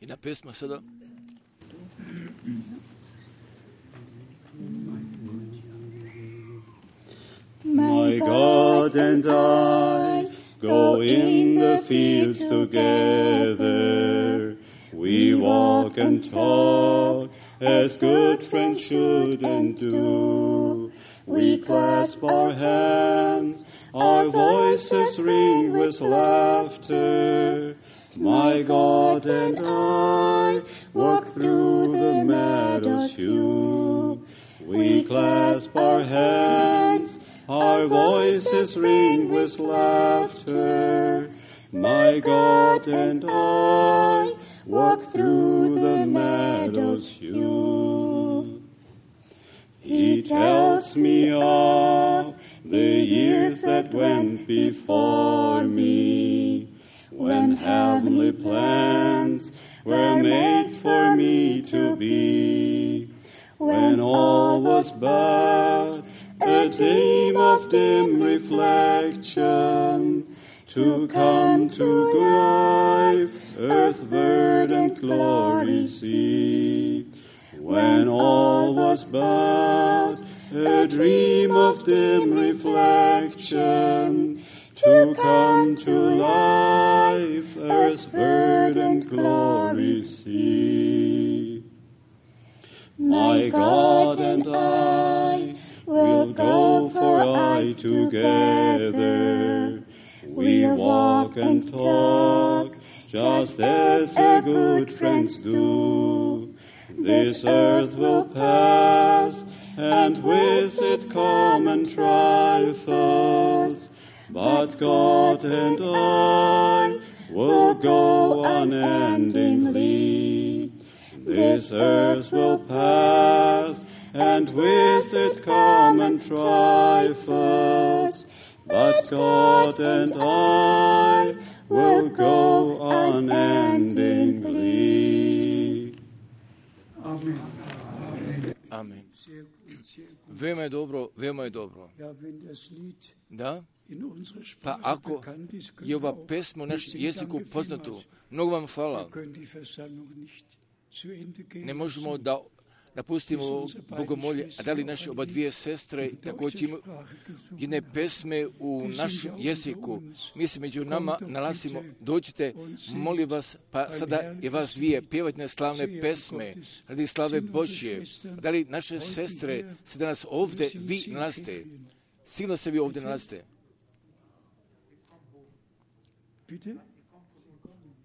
I na pesma sada. My God and I go in the fields together. We walk and talk as good friends should and do. We clasp our hands, our voices ring with laughter. My God and I walk through the meadows few. We clasp our hands, our voices ring with laughter. My God and I walk through the meadows few. He tells me of the years that went before me, when heavenly plans were made for me to be, when all was but a dream of dim reflection, to come to life, earth's verdant glory see, when all was but a dream of dim reflection, to come to life, earth's verdant glory see. My God and I will go for aye together. We'll walk and talk just as the good friends do. This earth will pass, and with it common trifles, but God and I will go unendingly. This earth will pass, and with it common trifles, but God and I will go unendingly. Amen. Amen. Veoma je dobro, veoma je dobro. Da? Pa ako je ova pesma u našem jeziku poznato, mnogo vam hvala. Ne možemo da napustimo bogomolje, a da li naše oba dvije sestre također imaju jedne pesme u našem jeziku. Mi se među nama nalazimo, dođite, molim vas, pa sada je vas dvije pjevajte slavne pesme radi slave Božje. Da li naše sestre se danas ovdje vi nalazite? Sigurno se vi ovdje nalazite.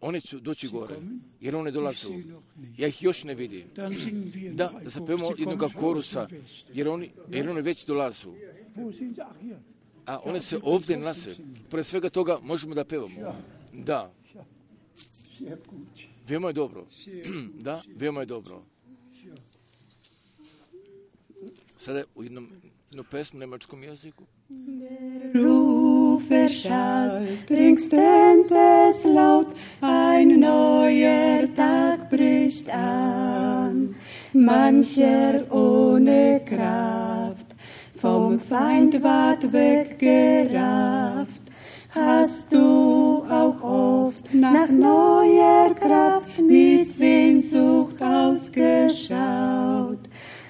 One će doći gore, jer one dolazu. Ja ih još ne vidim. Da, da zapevamo jednog korusa, jer oni, jer oni već dolazu. A one se ovdje nalaze. Pored svega toga možemo da pevamo. Da. Veoma je dobro. Da, veoma je dobro. Sada u jednom, jednom pesmu u nemačkom jeziku. Rufe schallt, ringsend es laut, ein neuer Tag bricht an. Mancher ohne Kraft, vom Feind ward weggerafft. Hast du auch oft nach neuer Kraft mit Sehnsucht ausgeschaut?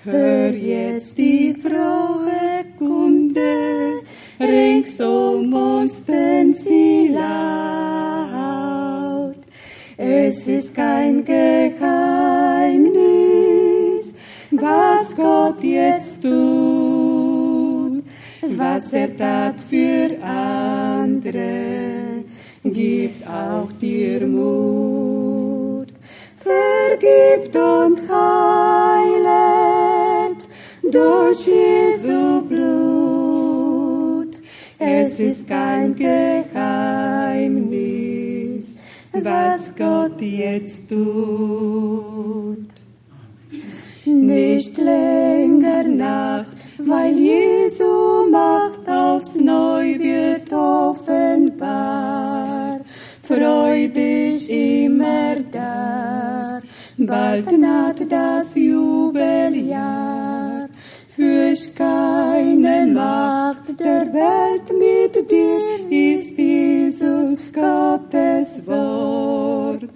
Hör jetzt die frohe Kunde, rings um uns denn sie laut. Es ist kein Geheimnis, was Gott jetzt tut, was er tat für andere, gibt auch dir Mut. Vergibt und heilet durch Jesu Blut. Es ist kein Geheimnis, was Gott jetzt tut. Nicht länger Nacht, weil Jesu Macht aufs Neu wird offenbar. Freu dich immer da, bald naht das Jubeljahr. Fürcht keine Macht der Welt mit dir, ist Jesus Gottes Wort.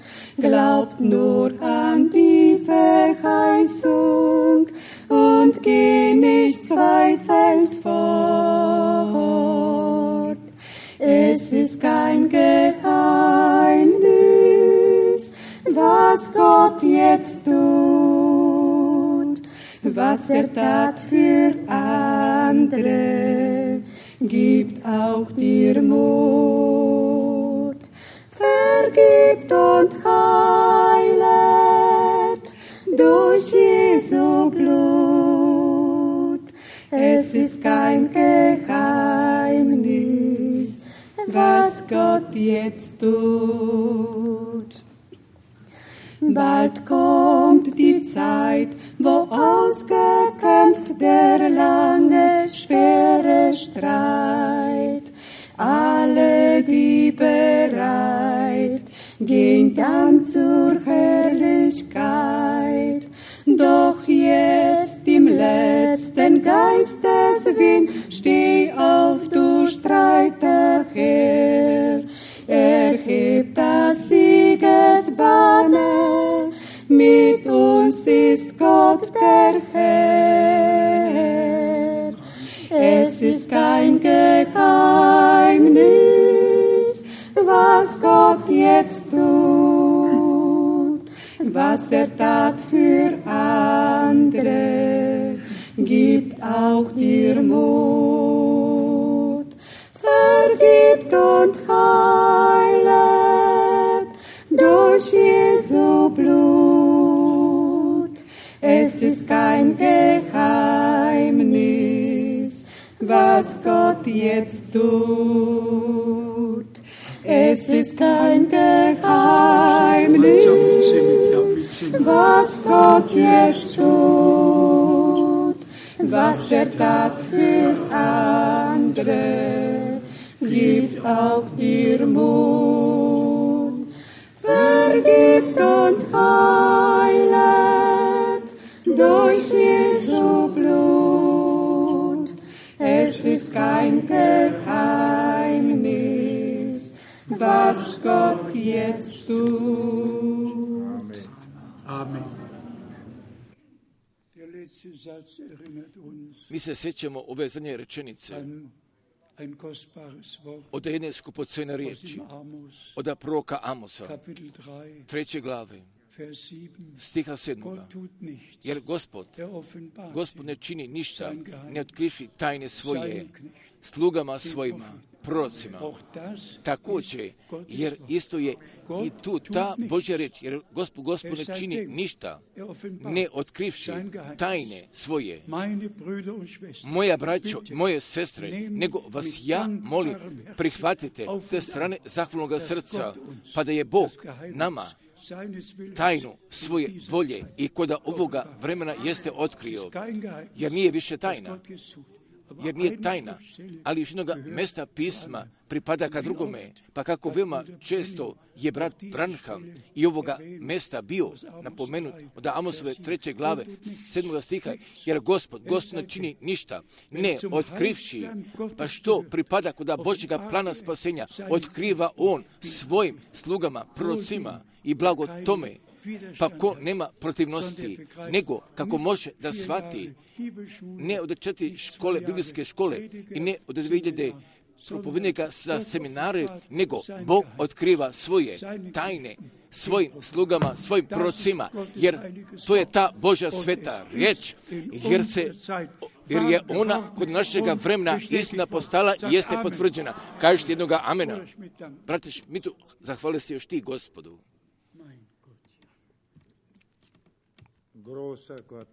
Glaubt nur an die Verheißung und geh nicht zweifelnd fort. Es ist kein Geheimnis, was Gott jetzt tut, was er tat für andere, gibt auch dir Mut. Vergibt und heilet durch Jesu Blut. Es ist kein Geheimnis, was Gott jetzt tut. Bald kommt die Zeit, wo ausgekämpft der lange, schwere Streit. Alle, die bereit, gehen dann zur Herrlichkeit. Doch jetzt im letzten Geisteswind, steh auf, du Streiter Herr. Erhebt das Siegesbanner, mit uns ist Gott der Herr. Es ist kein Geheimnis, was Gott jetzt tut, was er tat für andere, gibt auch dir Mut. Vergibt und heilet durch Jesu Blut. Es ist kein Geheimnis, was Gott jetzt tut. Es ist kein Geheimnis, was Gott jetzt tut, was er tat für andere, gibt auch dir Mut. Vergibt und heilet durch Jesu Blut. Es ist kein Geheimnis, was Gott jetzt tut. Amen. Mi se sjećamo ove zadnje rečenice od jedne skupocjene riječi, od proroka Amosa, treće glave, stiha sedmoga. Jer Gospod, Gospod ne čini ništa, ne otkrivši tajne svoje slugama svojima, prorocima. Također, jer isto je i tu ta Božja riječ, jer Gospod, Gospod ne čini ništa, ne otkrivši tajne svoje. Moja braćo, moje sestre, nego vas ja molim, prihvatite te strane zahvalnog srca, pa da je Bog nama tajnu svoje volje i kod ovoga vremena jeste otkrio, jer nije više tajna. Jer nije tajna, ali još jednoga mesta pisma pripada ka drugome, pa kako veoma često je brat Branham i ovoga mesta bio napomenut od Amosove treće glave, sedmoga stiha, jer Gospod, Gospod ne čini ništa, ne otkrivši, pa što pripada kod Božjega plana spasenja, otkriva On svojim slugama, prorocima i blago tome, pa ko nema protivnosti, nego kako može da shvati, ne od četiri škole, biblijske škole i ne od dvije hiljade propovednika za seminare, nego Bog otkriva svoje tajne svojim slugama, svojim prorocima, jer to je ta Božja sveta riječ, jer se jer je ona kod našega vremena istina postala i jeste potvrđena. Kažete jednoga amena. Bratiš, mi tu zahvali se još ti Gospodu.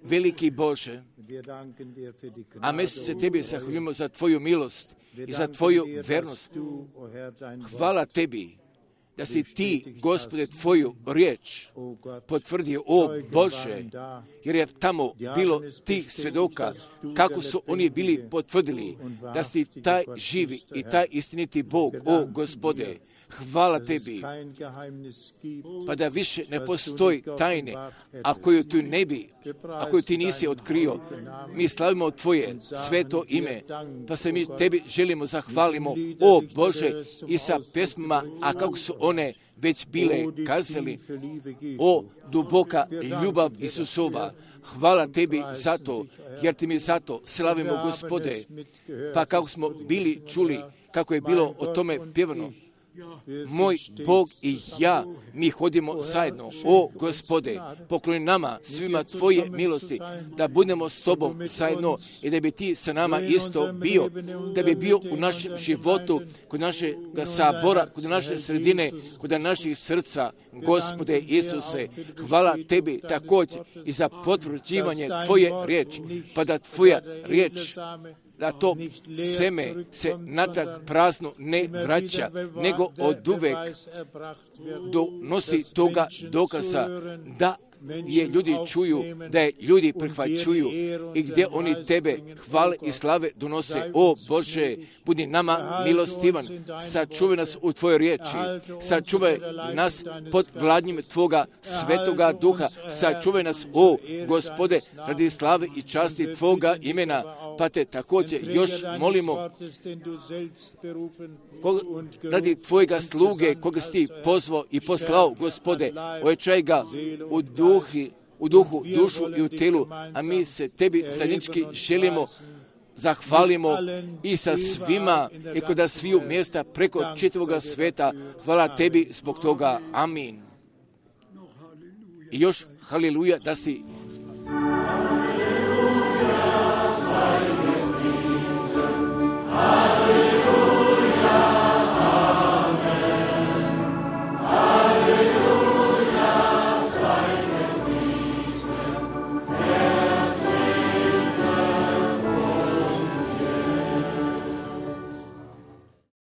Veliki Bože, a mi se Tebi zahvaljujemo za Tvoju milost i za Tvoju vernost. Hvala Tebi da si Ti, Gospode, Tvoju riječ potvrdio, o Bože, jer je tamo bilo tih svjedoka, kako su oni bili potvrdili da si taj živi i taj istiniti Bog, o Gospode. Hvala Tebi, pa da više ne postoji tajne, a koju tu ne bi, a koju Ti nisi otkrio. Mi slavimo Tvoje sveto ime, pa se mi Tebi želimo zahvalimo, o Bože, i sa pesmama, a kako su one već bile kazali, o duboka ljubav Isusova. Hvala Tebi za to, jer Ti mi zato slavimo, Gospode, pa kako smo bili čuli, kako je bilo o tome pjevano. Moj Bog i ja, mi hodimo zajedno. O Gospode, pokloni nama svima Tvoje milosti, da budemo s Tobom zajedno i da bi Ti sa nama isto bio, da bi bio u našem životu, kod našeg sabora, kod naše sredine, kod naših srca. Gospode Isuse, hvala Tebi također i za potvrđivanje Tvoje riječi, pa da Tvoja riječ, da to seme se natrag prazno ne vraća, nego oduvek donosi toga dokaza da je ljudi čuju, da je ljudi prihvaćuju i gdje oni Tebe hvale i slave donose. O Bože, budi nama milostivan, sačuvaj nas u Tvojoj riječi, sačuvaj nas pod vladnjim Tvoga svetoga duha, sačuvaj nas, o Gospode, radi slave i časti Tvoga imena, pa Te također još molimo koga, radi Tvojega sluge, koga si Ti pozvao i poslao, Gospode, ojačaj ga u duhi, u duhu, dušu i u telu, a mi se Tebi zajednički želimo, zahvalimo i sa svima i kod sviju mjesta preko čitavoga sveta. Hvala Tebi zbog toga. Amin. I još haleluja da si Hallelujah,